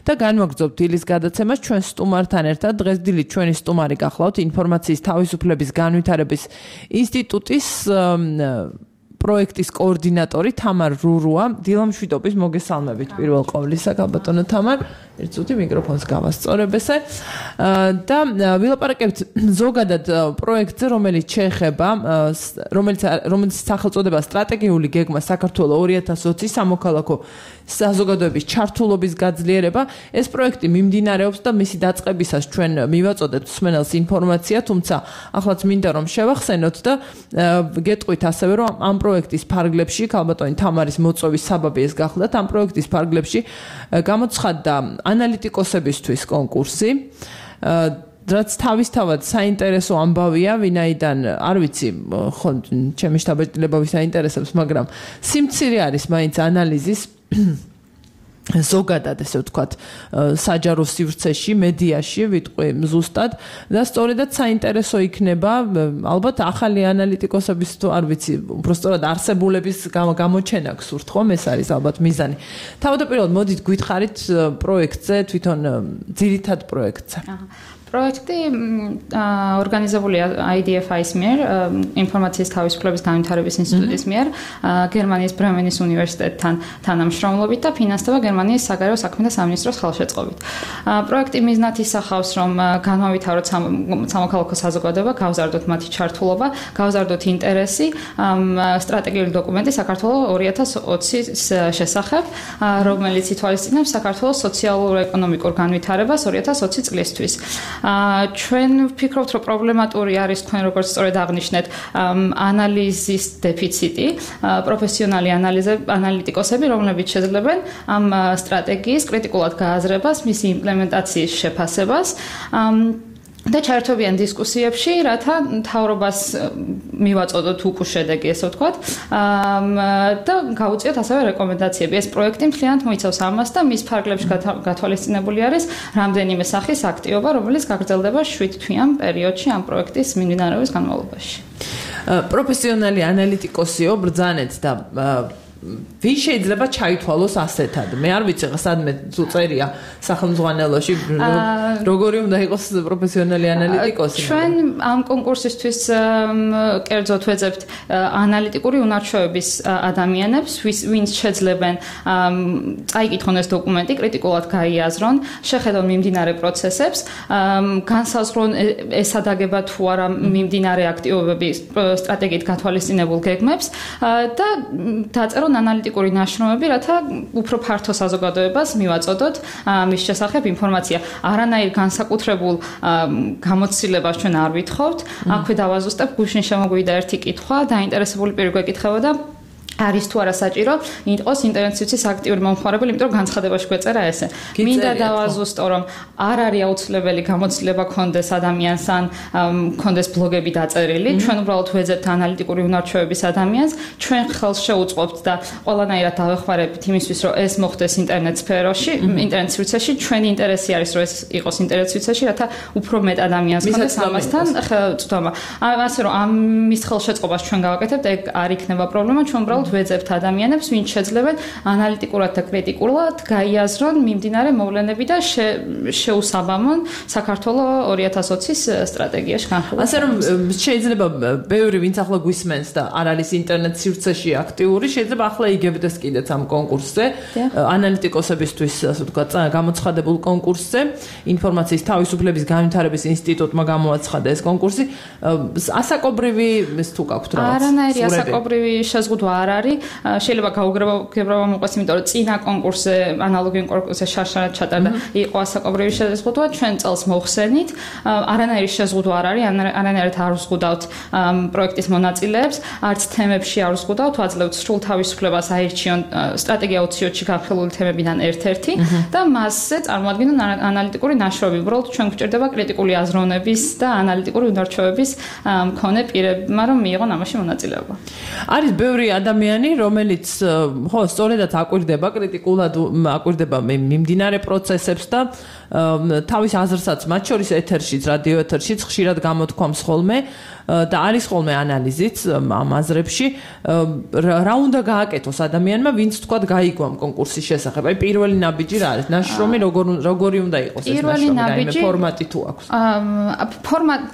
და განვაგრძობთ დილის გადაცემას ჩვენ სტუმართან ერთად. დღეს დილით ჩვენი სტუმარი გახლავთ ინფორმაციის თავისუფლების განვითარების ინსტიტუტის პროექტის კოორდინატორი თამარ რურუა. დილამშვიდობის მოგესალმებით პირველ ყოვლისა, გაბატონო თამარ. ერთ წუთი მიკროფონს გავასწორებ ესე და ვილაპარაკებთ ზოგადად პროექტზე, რომელიც შეეხება რომელიც სახელწოდება სტრატეგიული გეგმა საქართველოს 2020 სამოქალაქო საზოგადოების ჩართულობის გაძლიერება. ეს პროექტი მიმდინარეობს და მისი დაწყებისას ჩვენ მივაწოდებთ მსმენელს ინფორმაცია, თუმცა ახლაც მინდა რომ შევახსენოთ და გეტყვით ასევე რომ ამ პროექტის ფარგლებში ქალბატონი თამარის მოწვევის საბაბი ეს გახლდათ. ამ პროექტის ფარგლებში გამოცხადდა ანალიტიკოსებისთვის კონკურსი. რაც თავისთავად საინტერესო ამბავია, ვინაიდან არ ვიცი, ხო, ჩემი შთაბეჭდილება ვის აინტერესებს, მაგრამ სიმცირე არის მაინც ანალიზის ზოგადად ესე ვთქვათ საჯარო სივრცეში, მედიაში, ვიტყვი ზუსტად და სწორედაც საინტერესო იქნება ალბათ ახალი ანალიტიკოსების თუ არ ვიცი, უბრალოდ არსებულების გამოჩენა გსურთ ხომ, ეს არის ალბათ მიზანი. თავდაპირველად მოდით გითხარით პროექტზე, თვითონ ძირითად პროექტზე. პროექტი ორგანიზებულია IDFI-ის მიერ, ინფორმაციის თავისუფლების განვითარების ინსტიტუტის მიერ, გერმანიის ბრემენის უნივერსიტეტთან თანამშრომლობით და ფინანსდება გერმანიის საგარეო საქმეთა სამინისტროს ხელშეწყობით. პროექტი მიზნად ისახავს, რომ განმავითაროთ სამოქალაქო საზოგადოება, გავზარდოთ მათი ჩართულობა, გავზარდოთ ინტერესი სტრატეგიული დოკუმენტი საქართველოს 2020-ის შესახებ, რომელიც ითვალისწინებს საქართველოს სოციალურ-ეკონომიკურ განვითარებას 2020 წლისთვის. ჩვენ ვფიქრობთ, რომ პრობლემატური არის თქვენ როგორც სწორედ აღნიშნეთ, ანალიზის დეფიციტი, პროფესიონალი ანალიტიკოსები, რომლებიც შეძლებენ ამ სტრატეგიის კრიტიკულად გააზრებას, მისი იმპლემენტაციის შეფასებას და ჩაერთვებიან დისკუსიებში, რათა მთავრობას მივაწოდოთ უკუ შედეგი, ესე ვთქვათ, და გავუწიოთ ასევე რეკომენდაციები. ეს პროექტი მთლიანად მოიცავს ამას და მის ფარგლებში გათვალისწინებული არის რამდენიმე სახის აქტივობა, რომელიც გაგრძელდება 7 თვიან პერიოდში ამ პროექტის მიმდინარეობის განმავლობაში. პროფესიონალი ანალიტიკოსიო, ბრძანეთ და ვის შეიძლება ჩაითვალოს ასეთად? მე არ ვიცი, სადმე თუ წერია სახელმძღვანელოში როგორი უნდა იყოს პროფესიონალი ანალიტიკოსი. ჩვენ ამ კონკურსისთვის კერძოდ ვეძებთ ანალიტიკური უნარჩვევების ადამიანებს, ვინც შეძლებენ წაიკითხონ ეს დოკუმენტი, კრიტიკულად გაიაზრონ, შეხედონ მიმდინარე პროცესებს, განსაზღვრონ ესადაგება თუ არა მიმდინარე აქტივობები სტრატეგიით გათვალისწინებულ გეგმებს და დაწერონ ანალიტიკური ნაშრომები, რათა უფრო ფართო საზოგადოებას მივაწოდოთ მის შესახებ ინფორმაცია. არანაირ განსაკუთრებულ გამოცდილებას ჩვენ არ ვითხოვთ. აქვე დავაზუსტებ, გუშინ შემოგვიდა ერთი კითხვა, დაინტერესებული პირი გვეკითხებოდა არის თუ არა საჭირო იყოს ინტერნეტ სივრცის აქტიური მომხმარებელი, იმიტომ რომ განცხადებაში გვეწერა ესე. მინდა დავაზუსტო, რომ არ არის აუცილებელი გამოცდილება კონდეს ადამიანს ან კონდეს ბლოგები დაწერილი. ჩვენ უბრალოდ ვეძებთ ანალიტიკური უნარჩვევების ადამიანს, ჩვენ ხელს შეუწყობთ და ყველანაირად დავეხმარებით იმისთვის, რომ ეს მოხდეს ინტერნეტ სფეროში, ინტერნეტ სივრცეში. ჩვენი ინტერესი არის, რომ ეს იყოს ინტერნეტ სივრცეში, რათა უფრო მეტ ადამიანს კონდეს ამასთან წვდომა. ასე რომ ამის ხელშეწყობას ჩვენ გავაკეთებთ, ეგ არ იქნება პრობლემა, ჩვენ უბრალოდ ვეძებთ ადამიანებს, ვინც შეძლებენ ანალიტიკურად და კრიტიკულად გაიაზრონ მიმდინარე მოვლენები და შეუსაბამონ საქართველოს 2020-ის სტრატეგიაში განხილვა. ასე რომ შეიძლება ბევრი ვინც ახლა გვისმენს და არ არის ინტერნეტ სივრცეში აქტიური, შეიძლება ახლა იგებდეს კიდეც ამ კონკურსზე, ანალიტიკოსებისთვის, ასე ვთქვათ, გამოცხადებულ კონკურსზე, ინფორმაციის თავისუფლების განვითარების ინსტიტუტმა გამოაცხადა ეს კონკურსი. ასაკობრივი ის თუ გაქვთ რაღაც? არანაირი ასაკობრივი შეზღუდვა არ არის. შეიძლება გაუგებრობა მოყვეს, იმიტომ რომ წინა კონკურსზე, ანალოგიურ კონკურსზე შარშარად ჩატარდა, იყო ასაკობრივი შეზღუდვა, ჩვენ წელს მოხსენით. არანაირი შეზღუდვა არ არის, არანაირად არ ვზღუდავთ პროექტის მონაწილეებს, არც თემებში არ ვზღუდავთ, ვაძლევთ სრულ თავისუფლებას აირჩიონ სტრატეგია 20-ში განხილული თემებიდან ერთ-ერთი და მასზე წარმოადგენენ ანალიტიკური ნაშრომი. უბრალოდ ჩვენ გვჭირდება კრიტიკული აზროვნების და ანალიტიკური უნარჩვევების მქონე პირებმა, რომ მიიღონ ამაში მონაწილეობა. არის ბევრი ადამიანი, რომელიც ხო, სწორედაც აკვირდება კრიტიკულად აკვირდება მიმდინარე პროცესებს და თავის აზრსაც მათ შორის ეთერშიც, რადიო ეთერშიც ხშირად გამოთქვამს ხოლმე. და არის ხოლმე ანალიზიც ამ აზრებში რა უნდა გააკეთოს ადამიანმა ვინც თქვა გაიგო ამ კონკურსის შესახებ აი პირველი ნაბიჯი რა არის ნაშრომი როგორი უნდა იყოს ეს ნაშრომი რაიმე ფორმატი თუ აქვს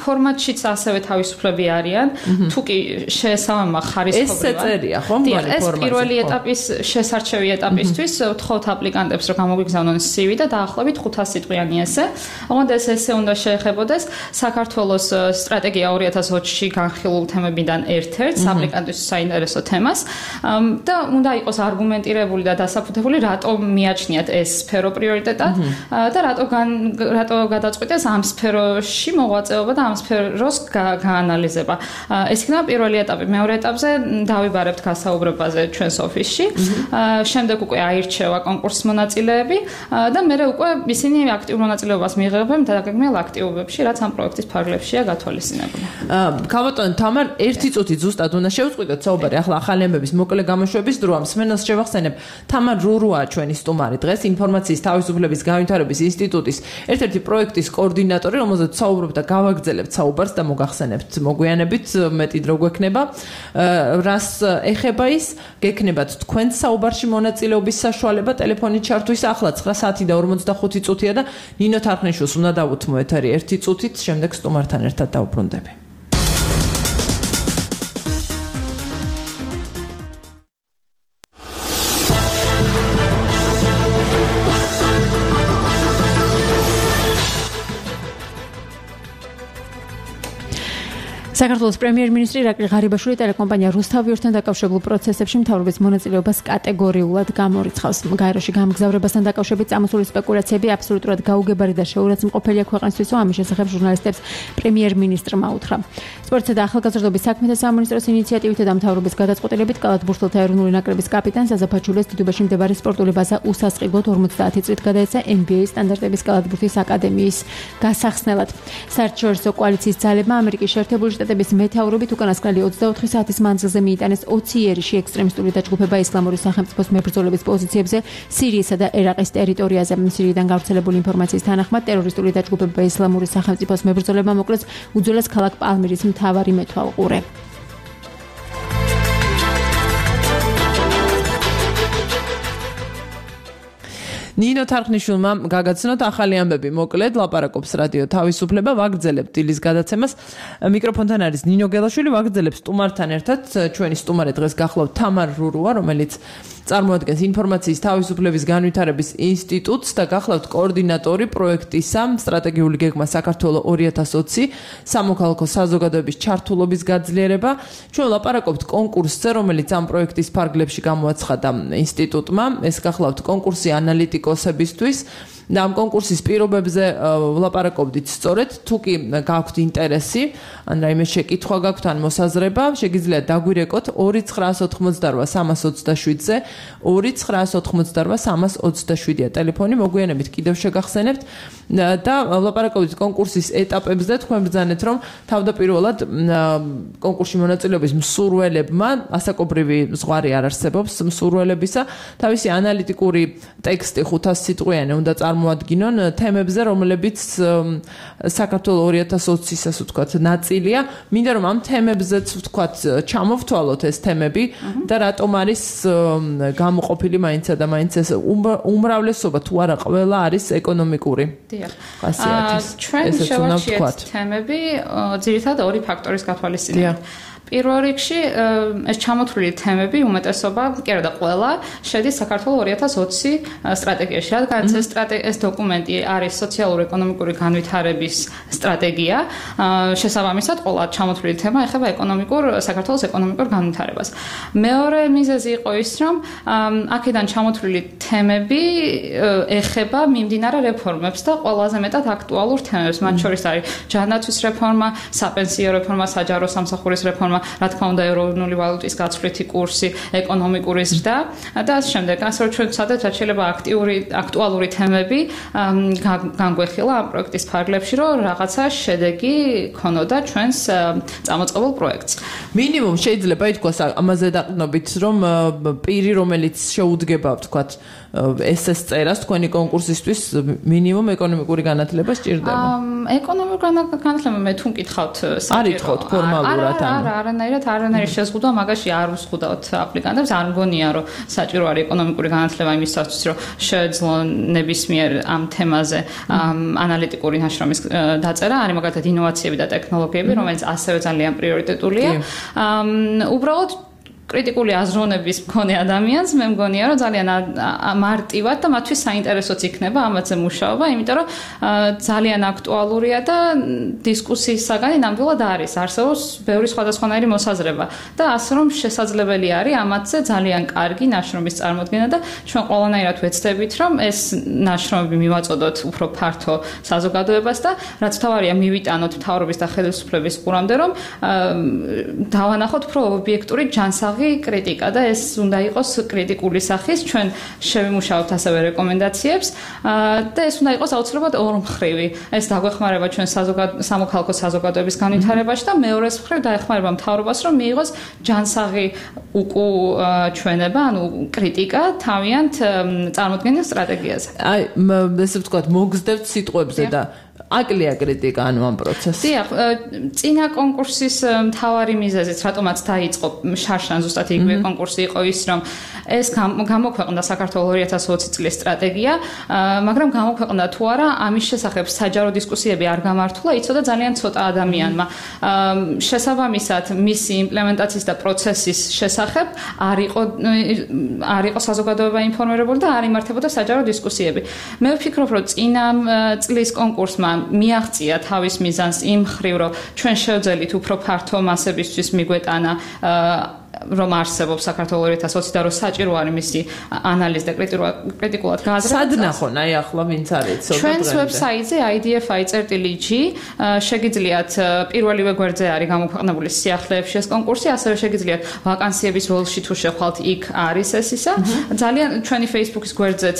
ფორმატშიც ასევე თავისუფლები არიან თუ კი შეესაბამება ხარისხობრივად ეს წერია ხო მგონი ეს პირველი ეტაპის შესარჩევი ეტაპისთვის ვთხოვთ აპლიკანტებს რომ გამოგიგზავნონ CV და დაახლოებით 500 სიტყვიანი ესე ოღონდ ეს ესე უნდა შეეხებოდეს საქართველოს სტრატეგია 2020-ში განხილულ თემებიდან ერთ-ერთს აპლიკანტის საინტერესო თემას და უნდა იყოს არგუმენტირებული და დასაფუთებული რატომ მიაჩნიათ ეს სფერო პრიორიტეტად და რატო გადაწყვიტეს ამ სფეროში მოღვაწეობა და ამ სფეროს გაანალიზება. ეს იქნება პირველი ეტაპი. მეორე ეტაპზე დავიბარებთ გასაუბრებაზე ჩვენს ოფისში. შემდეგ უკვე აირჩევა კონკურსის მონაწილეები და მერე უკვე ისინი აქტიურ მონაწილეობას მიიღებენ დაგეგმილ აქტივობებში, რაც ამ პროექტის ფარგლებშია გათვალისწინებული. ქალბატონო თამარ, ერთი წუთი ზუსტად უნდა შევწყვიტოთ საუბარი ახლა ახალი ამბების მოკლე გამოშვების დრო ამ სმენელს შევახსენებ. თამარ რურუა ჩვენი სტუმარი დღეს ინფორმაციის თავისუფლების განვითარების ინსტიტუტის ერთ-ერთი პროექტის კოორდინატორი, რომელზეც საუბრობ და გავაგრძელებთ საუბარს და მოგახსენებთ მოგვიანებით მეტი დრო გვექნება. რას ეხება ის, გექნებათ თქვენ საუბარში მონაწილეობის საშუალება ტელეფონით ჩართვის ახლა 9 საათი და 45 წუთია და ნინო თარხნიშვილს უნდა დავუთმო ეთერი 1 წუთით, შემდეგ სტუმართან ერთად დავუბრუნდები. საქართველოს პრემიერ-მინისტრი ირაკლი ღარიბაშვილი ტელეკომპანია რუსთავიორთან დაკავშირებულ პროცესებში მთავრობის მონაწილეობას კატეგორიულად გამორიცხავს. გაეროში გამგზავრებასთან დაკავშირებით წამოსული სპეკულაციები აბსოლუტურად გაუგებარი და შეურაცხმყოფელია ქვეყნისთვისო, ამის შესახებ ჟურნალისტებს პრემიერ-მინისტრმა უთხრა. სპორტსა და ახალგაზრდობის საქმეთა სამინისტროს ინიციატივითა და მთავრობის გადაწყვეტილებით კალათბურთელთა ეროვნული ნაკრების კაპიტანს აზაფაჩულიას დიდუბაში მდებარე სპორტული ბაზა უსასყიდლოდ 50 წლით გადაეცა NBA სტანდარტების კალათბურთის აკადემიის გასახსნელად. საერთაშორისო კოალიციის ძალებმა ამერიკის შეერთებული შტატების მეთაურობით უკანასკნელი 24 საათის მანძილზე მიიტანეს 20 იერიში ექსტრემისტული დაჯგუფება ისლამური სახელმწიფოს მებრძოლების პოზიციებზე სირიისა და ერაყის ტერიტორიაზე. სირიიდან გავრცელებული ინფორმაციის თანახმად ტერორისტული დაჯგუფება ისლამური სახელმწიფოს მებრძოლებმა მოკლეს უძველეს ქალაქ პალმირის მთავარი მეთვალყურე. ნინო თარხნიშვილმა გაგაცნოთ ახალი ამბები მოკლედ ლაპარაკობს რადიო თავისუფლება ვაგრძელებთ დილის გადაცემას მიკროფონთან არის ნინო გელაშვილი ვაგრძელებ სტუმართან ერთად ჩვენი სტუმარი დღეს გახლავთ თამარ რურუა რომელიც წარმოადგენს ინფორმაციის თავისუფლების განვითარების ინსტიტუტს და გახლავთ კოორდინატორი პროექტისა სტრატეგიული გეგმა საქართველო 2020 სამოქალაქო საზოგადოების ჩართულობის გაძლიერება ჩვენ ლაპარაკობთ კონკურსზე რომელიც ამ პროექტის ფარგლებში გამოაცხადა ინსტიტუტმა ეს გახლავთ კონკურსი ანალიტიკოსებისთვის და ამ კონკურსის პირობებზე ვლაპარაკობდით სწორედ თუ კი გაქვთ ინტერესი ან რაიმე შეკითხვა გაქვთ ან მოსაზრება შეგიძლიათ დაგვირეკოთ 2988327-ზე 2988327-ია ტელეფონი მოგვიანებით კიდევ შეგახსენებთ და ვლაპარაკობდით კონკურსის ეტაპებზე თქვენ ბრძანეთ რომ თავდაპირველად კონკურსში მონაწილეობის მსურველებმა ასაკობრივი ზღვარი არ არსებობს მსურველებისა თავისი ანალიტიკური ტექსტი 500 სიტყვიანი უნდა წარმოადგინონ თემებზე რომლებიც საქართველოს 2020-ის ასე ვთქვათ ნაწილია მინდა რომ ამ თემებზეც ვთქვათ ჩამოვთვალოთ ეს თემები და რატომ არის გამოყოფილი მაინცსა და მაინც ეს უმრავლესობა თუ არა ყველა არის ეკონომიკური ხასიათის ჩვენ შევარჩიეთ თემები ძირითადად ორი ფაქტორის გათვალისწინებით პირველ რიგში ეს ჩამოთვლილი თემები უმეტესობა კი არა და ყველა შედის საქართველოს 2020 სტრატეგიაში რადგან ეს დოკუმენტი არის სოციალურ-ეკონომიკური განვითარების სტრატეგია შესაბამისად ყველა ჩამოთვლილი თემა ეხება საქართველოს ეკონომიკურ განვითარებას მეორე მიზეზი იყო ის რომ აქედან ჩამოთვლილი თემები ეხება მიმდინარე რეფორმებს და ყველაზე მეტად აქტუალურ თემებს მათ შორის არის ჯანდაცვის რეფორმა, საპენსიო რეფორმა, საჯარო სამსახურის რეფორმა რეფორმა, რა თქმა უნდა, ეროვნული ვალუტის გაცვლითი კურსი, ეკონომიკური ზრდა და ასე შემდეგ. ასე რომ ჩვენ ვცადეთ, რაც შეიძლება აქტუალური თემები განგვეხილა ამ პროექტის ფარგლებში, რომ რაღაცა შედეგი ქონოდა ჩვენს წამოწყებულ პროექტს. მინიმუმ შეიძლება ითქვას ამაზე დაყრდნობით, რომ პირი, რომელიც შეუდგება, ვთქვათ, SS წერას თქვენი კონკურსისთვის მინიმუმ ეკონომიკური განათლება სჭირდება. ეკონომიკური განათლება მე თუ მკითხავთ არითხოვთ ფორმალურად ანუ არანაირად შეზღუდვა მაგაში არ უსხუდავთ აპლიკანტებს არ მგონია რომ საჭირო არის ეკონომიკური განათლება იმისათვის რომ შეეძლონ ნებისმიერ ამ თემაზე ანალიტიკური ნაშრომის დაწერა არის მაგალითად ინოვაციები და ტექნოლოგიები რომელიც ასევე ძალიან პრიორიტეტულია უბრალოდ კრიტიკული აზროვნების მქონე ადამიანს მე მგონია რომ ძალიან მარტივად და მათთვის საინტერესოც იქნება ამაზე მუშაობა, იმიტომ რომ ძალიან აქტუალურია და დისკუსიის საგანი ნამდვილად არის. არსებობს ბევრი სხვადასხვანაირი მოსაზრება და ასე რომ შესაძლებელი არის ამათზე ძალიან კარგი ნაშრომის წარმოქმნა და ჩვენ ყველანაირად ვეცდებით რომ ეს ნაშრომები მივაწოდოთ უფრო ფართო საზოგადოებას და რაც თავარია მივიტანოთ მთავრობის და ხელისუფლების ყურამდე რომ დავანახოთ უფრო ობიექტური ჯანსაღი კრიტიკა და ეს უნდა იყოს კრიტიკული სახის ჩვენ შევიმუშავებთ ასევე რეკომენდაციებს და ეს უნდა იყოს აუცილებლად ორმხრივი ეს დაგვეხმარება ჩვენ სამოქალაქო საზოგადოების განვითარებაში და მეორეს მხრივ დაეხმარება მთავრობას რომ მიიღოს ჯანსაღი უკუჩვენება ანუ კრიტიკა თავიანთ წარმოქმნილ სტრატეგიაზე აი ესე ვთქვათ მოგზდევთ სიტყვებზე და აკლია კრიტიკა ანუ ამ პროცესს. დიახ, წინა კონკურსის მთავარი მიზეზიც რატომაც დაიწყო შარშან ზუსტად იგივე კონკურსი იყო ის რომ ეს გამოქვეყნდა საქართველოს 2020 წლის სტრატეგია, მაგრამ გამოქვეყნდა თუ არა ამის შესახებ საჯარო დისკუსიები არ გამართულა, იცოდა ძალიან ცოტა ადამიანმა. შესაბამისად, მისი იმპლემენტაციის და პროცესის შესახებ არ იყო საზოგადოება ინფორმირებული და არ იმართებოდა საჯარო დისკუსიები. მე ვფიქრობ, რომ წინა წლის კონკურსმა მიაღწია თავის მიზანს იმ მხრივ, რომ ჩვენ შევძელით უფრო ფართო მასებისთვის მიგვეტანა რომ არსებობს საქართველოს 2020 და რომ საჭირო არის მისი ანალიზი და კრიტიკულად გააზრება. სად ნახონ აი ახლა ვინც არის ცოტა ჩვენს ვებსაიტზე idfi.g შეგიძლიათ პირველივე გვერდზე არის გამოქვეყნებული სიახლეებში ეს კონკურსი, ასევე შეგიძლიათ ვაკანსიების როლში თუ შეხვალთ იქ არის ეს ისა. ძალიან ჩვენი Facebook-ის გვერდზეც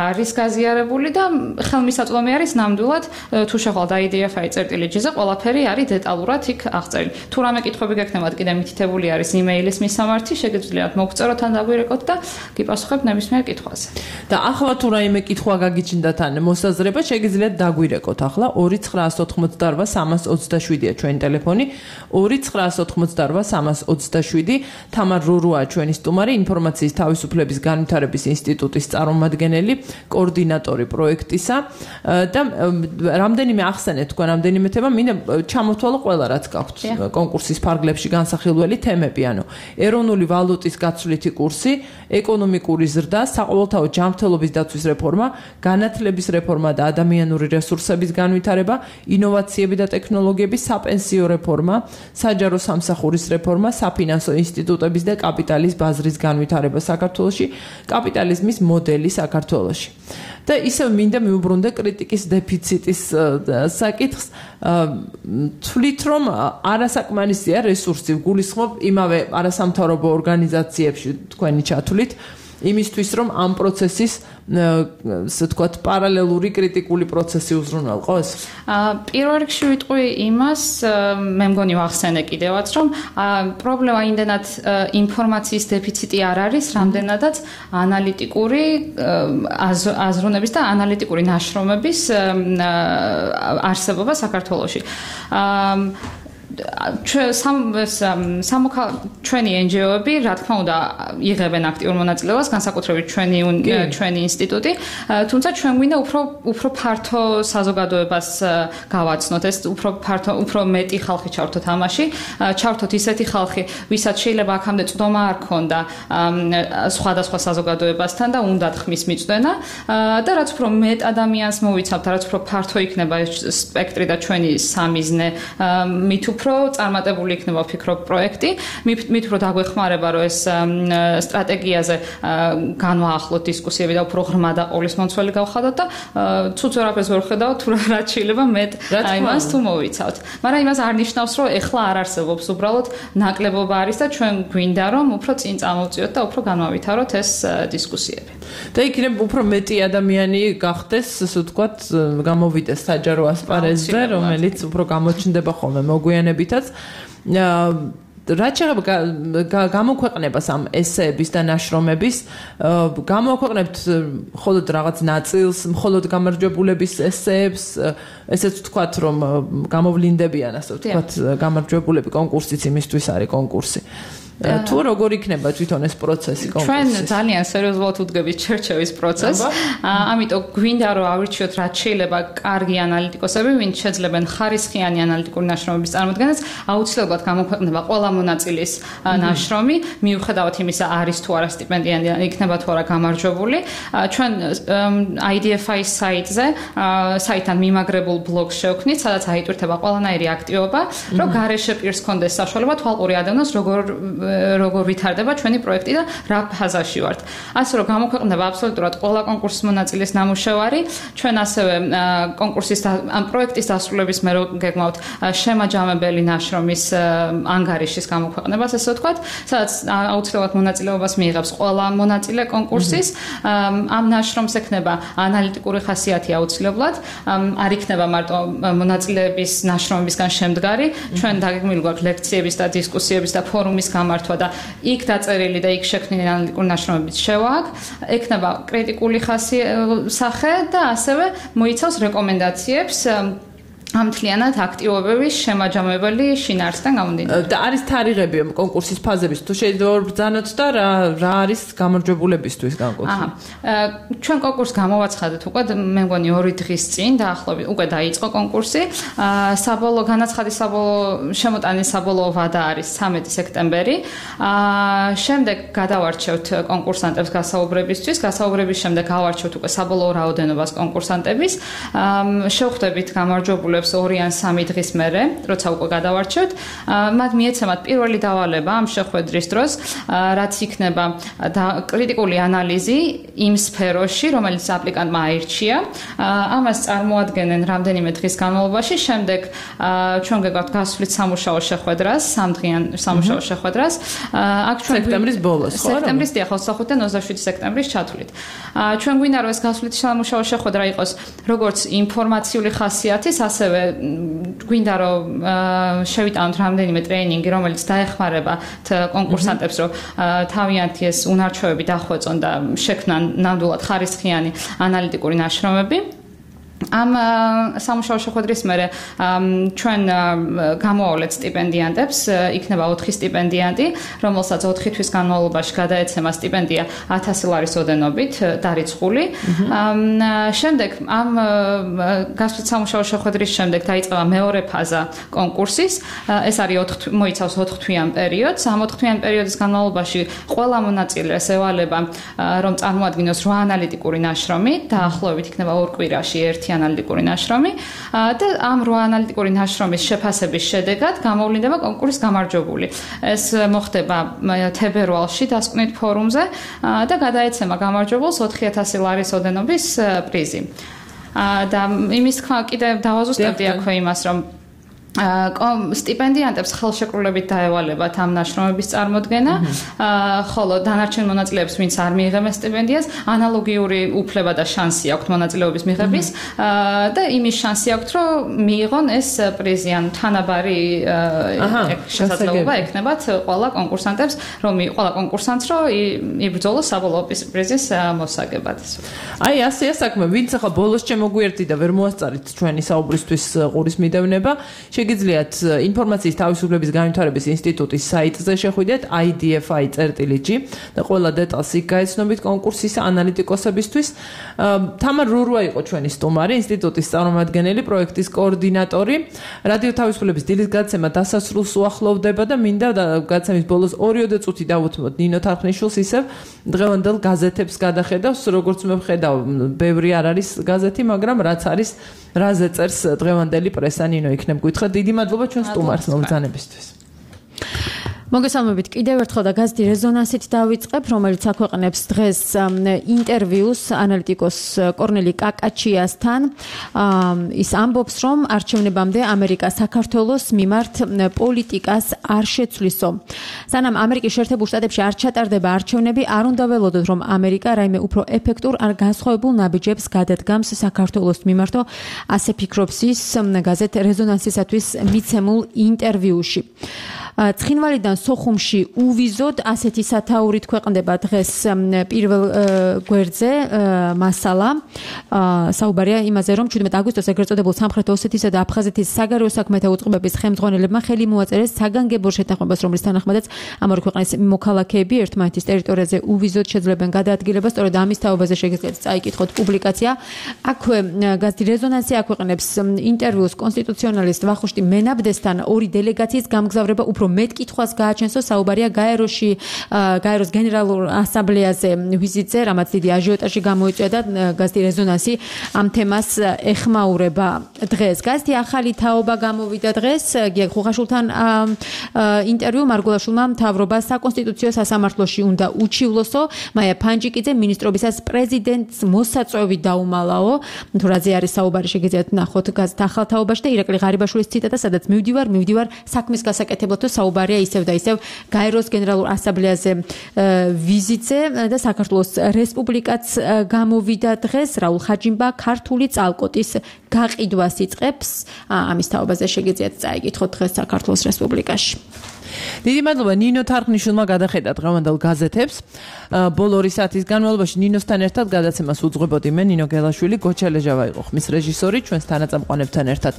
არის გაზიარებული და ხელმისაწვდომი არის ნამდვილად თუ შეხვალთ idfi.g-ზე ყველაფერი არის დეტალურად იქ აღწერილი. თუ რამე კითხვები გექნებათ კიდე მითითებული არის იმეილის მისამართი, შეგიძლიათ მოგწეროთ ან დაგვირეკოთ და გიპასუხებთ ნებისმიერ კითხვაზე. და ახლა თუ რაიმე კითხვა გაგიჩნდათ ან მოსაზრება, შეგიძლიათ დაგვირეკოთ ახლა 2988327-ია ჩვენი ტელეფონი, 2988327. თამარ რურუა ჩვენი სტუმარი, ინფორმაციის თავისუფლების განვითარების ინსტიტუტის წარმომადგენელი, კოორდინატორი პროექტისა და რამდენიმე ახსენეთ თქვენ რამდენიმე თემა, მინდა ჩამოთვალო ყველა რაც გაქვთ კონკურსის ფარგლებში განსახილველი თემები. ანუ ეროვნული ვალუტის გაცვლითი კურსი, ეკონომიკური ზრდა, საყოველთაო ჯანმრთელობის დაცვის რეფორმა, განათლების რეფორმა და ადამიანური რესურსების განვითარება, ინოვაციები და ტექნოლოგიები, საპენსიო რეფორმა, საჯარო სამსახურის რეფორმა, საფინანსო ინსტიტუტების და კაპიტალის ბაზრის განვითარება საქართველოში, კაპიტალიზმის მოდელი საქართველოში. და ისევ მინდა მიუბრუნდე კრიტიკის დეფიციტის საკითხს, თვლით რომ არასაკმარისია რესურსი, გულისხმობ იმავე არასამთავრობო ორგანიზაციებში თქვენი ჩათვლით, იმისთვის რომ ამ პროცესის ასე ვთქვათ პარალელური კრიტიკული პროცესი უზრუნველყოს? პირველ რიგში ვიტყვი იმას, მე მგონი ვახსენე კიდევაც, რომ პრობლემა იმდენად ინფორმაციის დეფიციტი არ არის, რამდენადაც ანალიტიკური აზროვნების და ანალიტიკური ნაშრომების არსებობა საქართველოში. ჩვენი NGO-ები, რა თქმა უნდა, იღებენ აქტიურ მონაწილეობას, განსაკუთრებით ჩვენი ინსტიტუტი, თუმცა ჩვენ გვინდა უფრო ფართო საზოგადოებას გავაცნოთ, ეს უფრო მეტი ხალხი ჩავთოთ ამაში, ჩავთოთ ისეთი ხალხი, ვისაც შეიძლება აქამდე წვდომა არ ქონდა სხვადასხვა საზოგადოებასთან და უნდათ ხმის მიწვენა და რაც უფრო მეტ ადამიანს მოვიცავთ, რაც უფრო ფართო იქნება ეს სპექტრი და ჩვენი სამიზნე, მით უფრო უფრო წარმატებული იქნება ვფიქრობ პროექტი. მით უფრო დაგვეხმარება რომ ეს სტრატეგიაზე განვაახლოთ დისკუსიები და უფრო ღრმა და ყოვლისმომცველი გავხადოთ და ცუც ვერაფერს ვერ ხედავთ თუ რა შეიძლება მეტ იმას თუ მოვიცავთ. მაგრამ იმას არ ნიშნავს რომ ეხლა არ არსებობს უბრალოდ ნაკლებობა არის და ჩვენ გვინდა რომ უფრო წინ წამოვწიოთ და უფრო განვავითაროთ ეს დისკუსიები. და იქნებ უფრო მეტი ადამიანი გახდეს, ასე ვთქვათ, გამოვიდეს საჯარო ასპარეზზე, რომელიც უფრო გამოჩნდება ხოლმე მოგვიანებითაც. რაც შეეხება გამოქვეყნებას ამ ესეების და ნაშრომების, გამოქვეყნებთ მხოლოდ რაღაც ნაწილს, მხოლოდ გამარჯვებულების ესეებს, ესეც ვთქვათ, რომ გამოვლინდებიან, ასე ვთქვათ, გამარჯვებულები კონკურსიც იმისთვის არის კონკურსი. თუ როგორ იქნება თვითონ ეს პროცესი კონკურსის? ჩვენ ძალიან სერიოზულად ვუდგებით ჩერჩევის პროცესს. ამიტომ გვინდა რომ ავირჩიოთ რაც შეიძლება კარგი ანალიტიკოსები, ვინც შეძლებენ ხარისხიანი ანალიტიკური ნაშრომების წარმოდგენას, აუცილებლად გამოქვეყნება ყველა მონაწილის ნაშრომი, მიუხედავად იმისა არის თუ არა სტიპენდიანტი, იქნება თუ არა გამარჯვებული. ჩვენ IDFI-ის საიტთან მიმაგრებულ ბლოგს შევქმნით, სადაც აიტვირთება ყველანაირი აქტივობა, რომ გარეშე პირს ჰქონდეს საშუალება თვალყური ადევნოს როგორ ვითარდება ჩვენი პროექტი და რა ფაზაში ვართ. ასე რომ გამოქვეყნდება აბსოლუტურად ყველა კონკურსის მონაწილის ნამუშევარი. ჩვენ ასევე კონკურსის ამ პროექტის დასრულების მერე გეგმავთ შემაჯამებელი ნაშრომის ანგარიშის გამოქვეყნებას, ესე ვთქვათ, სადაც აუცილებლად მონაწილეობას მიიღებს ყველა მონაწილე კონკურსის. ამ ნაშრომს ექნება ანალიტიკური ხასიათი აუცილებლად. არ იქნება მარტო მონაწილეების ნაშრომებისგან შემდგარი. ჩვენ დაგეგმილი გვაქვს ლექციების და დისკუსიების და ფორუმის გამართვა და იქ დაწერილი და იქ შექმნილი ანალიტიკური ნაშრომებიც შევაქვს. ექნება კრიტიკული სახე და ასევე მოიცავს რეკომენდაციებს ამთლიანად აქტივობების შემაჯამებელი შინაარსიდან გამომდინარე. და არის თარიღები კონკურსის ფაზების, თუ შეიძლება ვბრძანოთ და რა არის გამარჯვებულებისთვის განკუთვნილი? ჩვენ კონკურსს გამოვაცხადეთ უკვე მე მგონი 2 დღის წინ დაახლოებით უკვე დაიწყო კონკურსი. საბოლოო განაცხადის შემოტანის საბოლოო ვადა არის 13 სექტემბერი. შემდეგ გადავარჩევთ კონკურსანტებს გასაუბრებისთვის. გასაუბრების შემდეგ გავარჩევთ უკვე საბოლოო რაოდენობას კონკურსანტების. შევხვდებით გამარჯვებულებს 2 ან 3 დღის მერე, როცა უკვე გადავარჩევთ, მათ მიეცემათ პირველი დავალება ამ შეხვედრის დროს, რაც იქნება კრიტიკული ანალიზი იმ სფეროში, რომელიც აპლიკანტმა აირჩია. ამას წარმოადგენენ რამდენიმე დღის განმავლობაში, შემდეგ ჩვენ გეგვაქვს გასვლით სამუშაო შეხვედრას, 3დღიან სამუშაო შეხვედრას. აქ ჩვენ სექტემბრის ბოლოს, ხო? სექტემბრის 25-დან 27 სექტემბრის ჩათვლით. ჩვენ გვინდა რომ ეს გასვლით სამუშაო შეხვედრა იყოს როგორც ინფორმაციული ხასიათის, ასევე გვინდა რომ შევიტანოთ რამდენიმე ტრეინინგი, რომელიც დაეხმარება კონკურსანტებს, რომ თავიანთი ეს უნარჩვევები დახვეწონ და შექმნან ნამდვილად ხარისხიანი ანალიტიკური ნაშრომები. ამ სამუშაო შეხვედრის მერე ჩვენ გამოვავლეთ სტიპენდიანტებს, იქნება 4 სტიპენდიანტი, რომელსაც 4 თვის განმავლობაში გადაეცემა სტიპენდია 1000 ლარის ოდენობით დარიცხული. შემდეგ ამ გასვლით სამუშაო შეხვედრის შემდეგ დაიწყება მეორე ფაზა კონკურსის. ეს არის მოიცავს 4 თვიან პერიოდს. ამ 4 თვიან პერიოდის განმავლობაში ყველა მონაწილეს ევალება რომ წარმოადგინოს 8 ანალიტიკური ნაშრომი, დაახლოებით იქნება 2 კვირაში ერთი ანალიტიკური ნაშრომი და ამ 8 ანალიტიკური ნაშრომის შეფასების შედეგად გამოვლინდება კონკურსის გამარჯვებული. ეს მოხდება თებერვალში დასკვნით ფორუმზე და გადაეცემა გამარჯვებულს 4000 ლარის ოდენობის პრიზი. და იმის თქმა კიდევ დავაზუსტებდი აქვე იმას, რომ სტიპენდიანტებს ხელშეკრულებით დაევალებათ ამ ნაშრომების წარმოდგენა, ხოლო დანარჩენ მონაწილეებს, ვინც არ მიიღებენ სტიპენდიას, ანალოგიური უფლება და შანსი აქვთ მონაწილეობის მიღების და იმის შანსი აქვთ, რომ მიიღონ ეს პრიზი, ან თანაბარი შესაძლებლობა ექნებათ ყველა კონკურსანტებს, ყველა კონკურსანტს, რომ იბრძოლოს საბოლოო პრიზის მოსაგებად. აი, ასეა საქმე, ვინც ახლა ბოლოს შემოგვიერთდი და ვერ მოასწარით ჩვენი საუბრისთვის ყურის მიდევნება, შეგიძლიათ ინფორმაციის თავისუფლების განვითარების ინსტიტუტის საიტზე შეხვიდეთ idfi.g და ყველა დეტალს იქ გაეცნობით კონკურსის ანალიტიკოსებისთვის. თამარ რურვა იყო ჩვენი სტუმარი, ინსტიტუტის წარმომადგენელი, პროექტის კოორდინატორი. რადიო თავისუფლების დილის გაცემა დასასრულს უახლოვდება და მინდა გაცემის ბოლოს 2 წუთი დავუთმოთ ნინო თარხნიშვილს ისევ დღევანდელ გაზეთებს გადახედავს, როგორც მე ვხედავ, ბევრი არ არის გაზეთი, მაგრამ რაც არის რაზე წერს დღევანდელი პრესა ნინო იქნებ გითხრა. დიდი მადლობა ჩვენ სტუმარს მოგზანებისთვის. მოგესალმებით კიდევ ერთხელ და გაზეთი რეზონანსით დავიწყებ, რომელიც აქვეყნებს დღეს ინტერვიუს ანალიტიკოს კორნელი კაკაჩიასთან. ის ამბობს, რომ არჩევნებამდე ამერიკა საქართველოს მიმართ პოლიტიკას არ შეცვლისო. სანამ ამერიკის შეერთებულ შტატებში არ ჩატარდება არჩევნები, არ უნდა ველოდოთ, რომ ამერიკა რაიმე უფრო ეფექტურ არ განსხვავებულ ნაბიჯებს გადადგამს საქართველოს მიმართო, ასე ფიქრობს ის გაზეთ რეზონანსისათვის მიცემულ ინტერვიუში. ცხინვალიდან სოხუმში უვიზოდ ასეთი სათაურით ქვეყნდება დღეს პირველ გვერდზე მასალა. საუბარია იმაზე, რომ 17 აგვისტოს ეგრეთ წოდებულ სამხრეთ ოსეთისა და აფხაზეთის საგარეო საქმეთა უწყებების ხელმძღვანელებმა ხელი მოაწერეს საგანგებო შეთანხმებას, რომლის თანახმადაც ამ ორი ქვეყნის მოქალაქეები ერთმანეთის ტერიტორიაზე უვიზოდ შეძლებენ გადაადგილებას. სწორედ ამის თაობაზე შეგიძლიათ წაიკითხოთ პუბლიკაცია. აქვე გაზეთი რეზონანსი აქვეყნებს ინტერვიუს კონსტიტუციონალისტ ვახუშტი მენაბდესთან ორი დელეგაციის გამგზავრება უფრო მეტ კითხვას გააჩენსო. საუბარია გაეროს გენერალურ ასამბლეაზე ვიზიტზე, რამაც დიდი აჟიოტაჟი გამოიწვია და გაზეთი რეზონანსი ამ თემას ეხმაურება დღეს. გაზეთი ახალი თაობა გამოვიდა დღეს. გია ხუხაშულთან ინტერვიუ მარგულაშვილმა მთავრობა საკონსტიტუციო სასამართლოში უნდა უჩივლოსო. მაია ფანჯიკიძე მინისტრობისას პრეზიდენტს მოსაწვევი დაუმალაო. თუ რაზე არის საუბარი შეგიძლიათ ნახოთ გაზეთ ახალ თაობაში და ირაკლი ღარიბაშვილის ციტატა, სადაც მივდივარ საქმის გასაკეთებლად საუბარია ისევ და ისევ გაეროს გენერალურ ასამბლეაზე ვიზიტზე და საქართველოს რესპუბლიკაც გამოვიდა დღეს. რაულ ხაჯიმბა ქართული წალკოტის გაყიდვას იწყებს. ამის თაობაზე შეგიძლიათ წაიკითხოთ დღეს საქართველოს რესპუბლიკაში. დიდი მადლობა ნინო თარხნიშვილმა გადახედა დღევანდელ გაზეთებს. ბოლო 2 საათის განმავლობაში ნინოსთან ერთად გადაცემას უძღვებოდი მე ნინო გელაშვილი, გოჩა ლეჟავა იყო ხმის რეჟისორი, ჩვენს თანაწამყვანებთან ერთად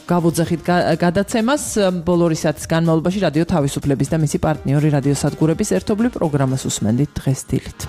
გავუძახით გადაცემას. ბოლო 2 საათის განმავლობაში რადიო თავისუფლების და მისი პარტნიორი რადიოსადგურების ერთობლივ პროგრამას უსმენდით დღეს დილით.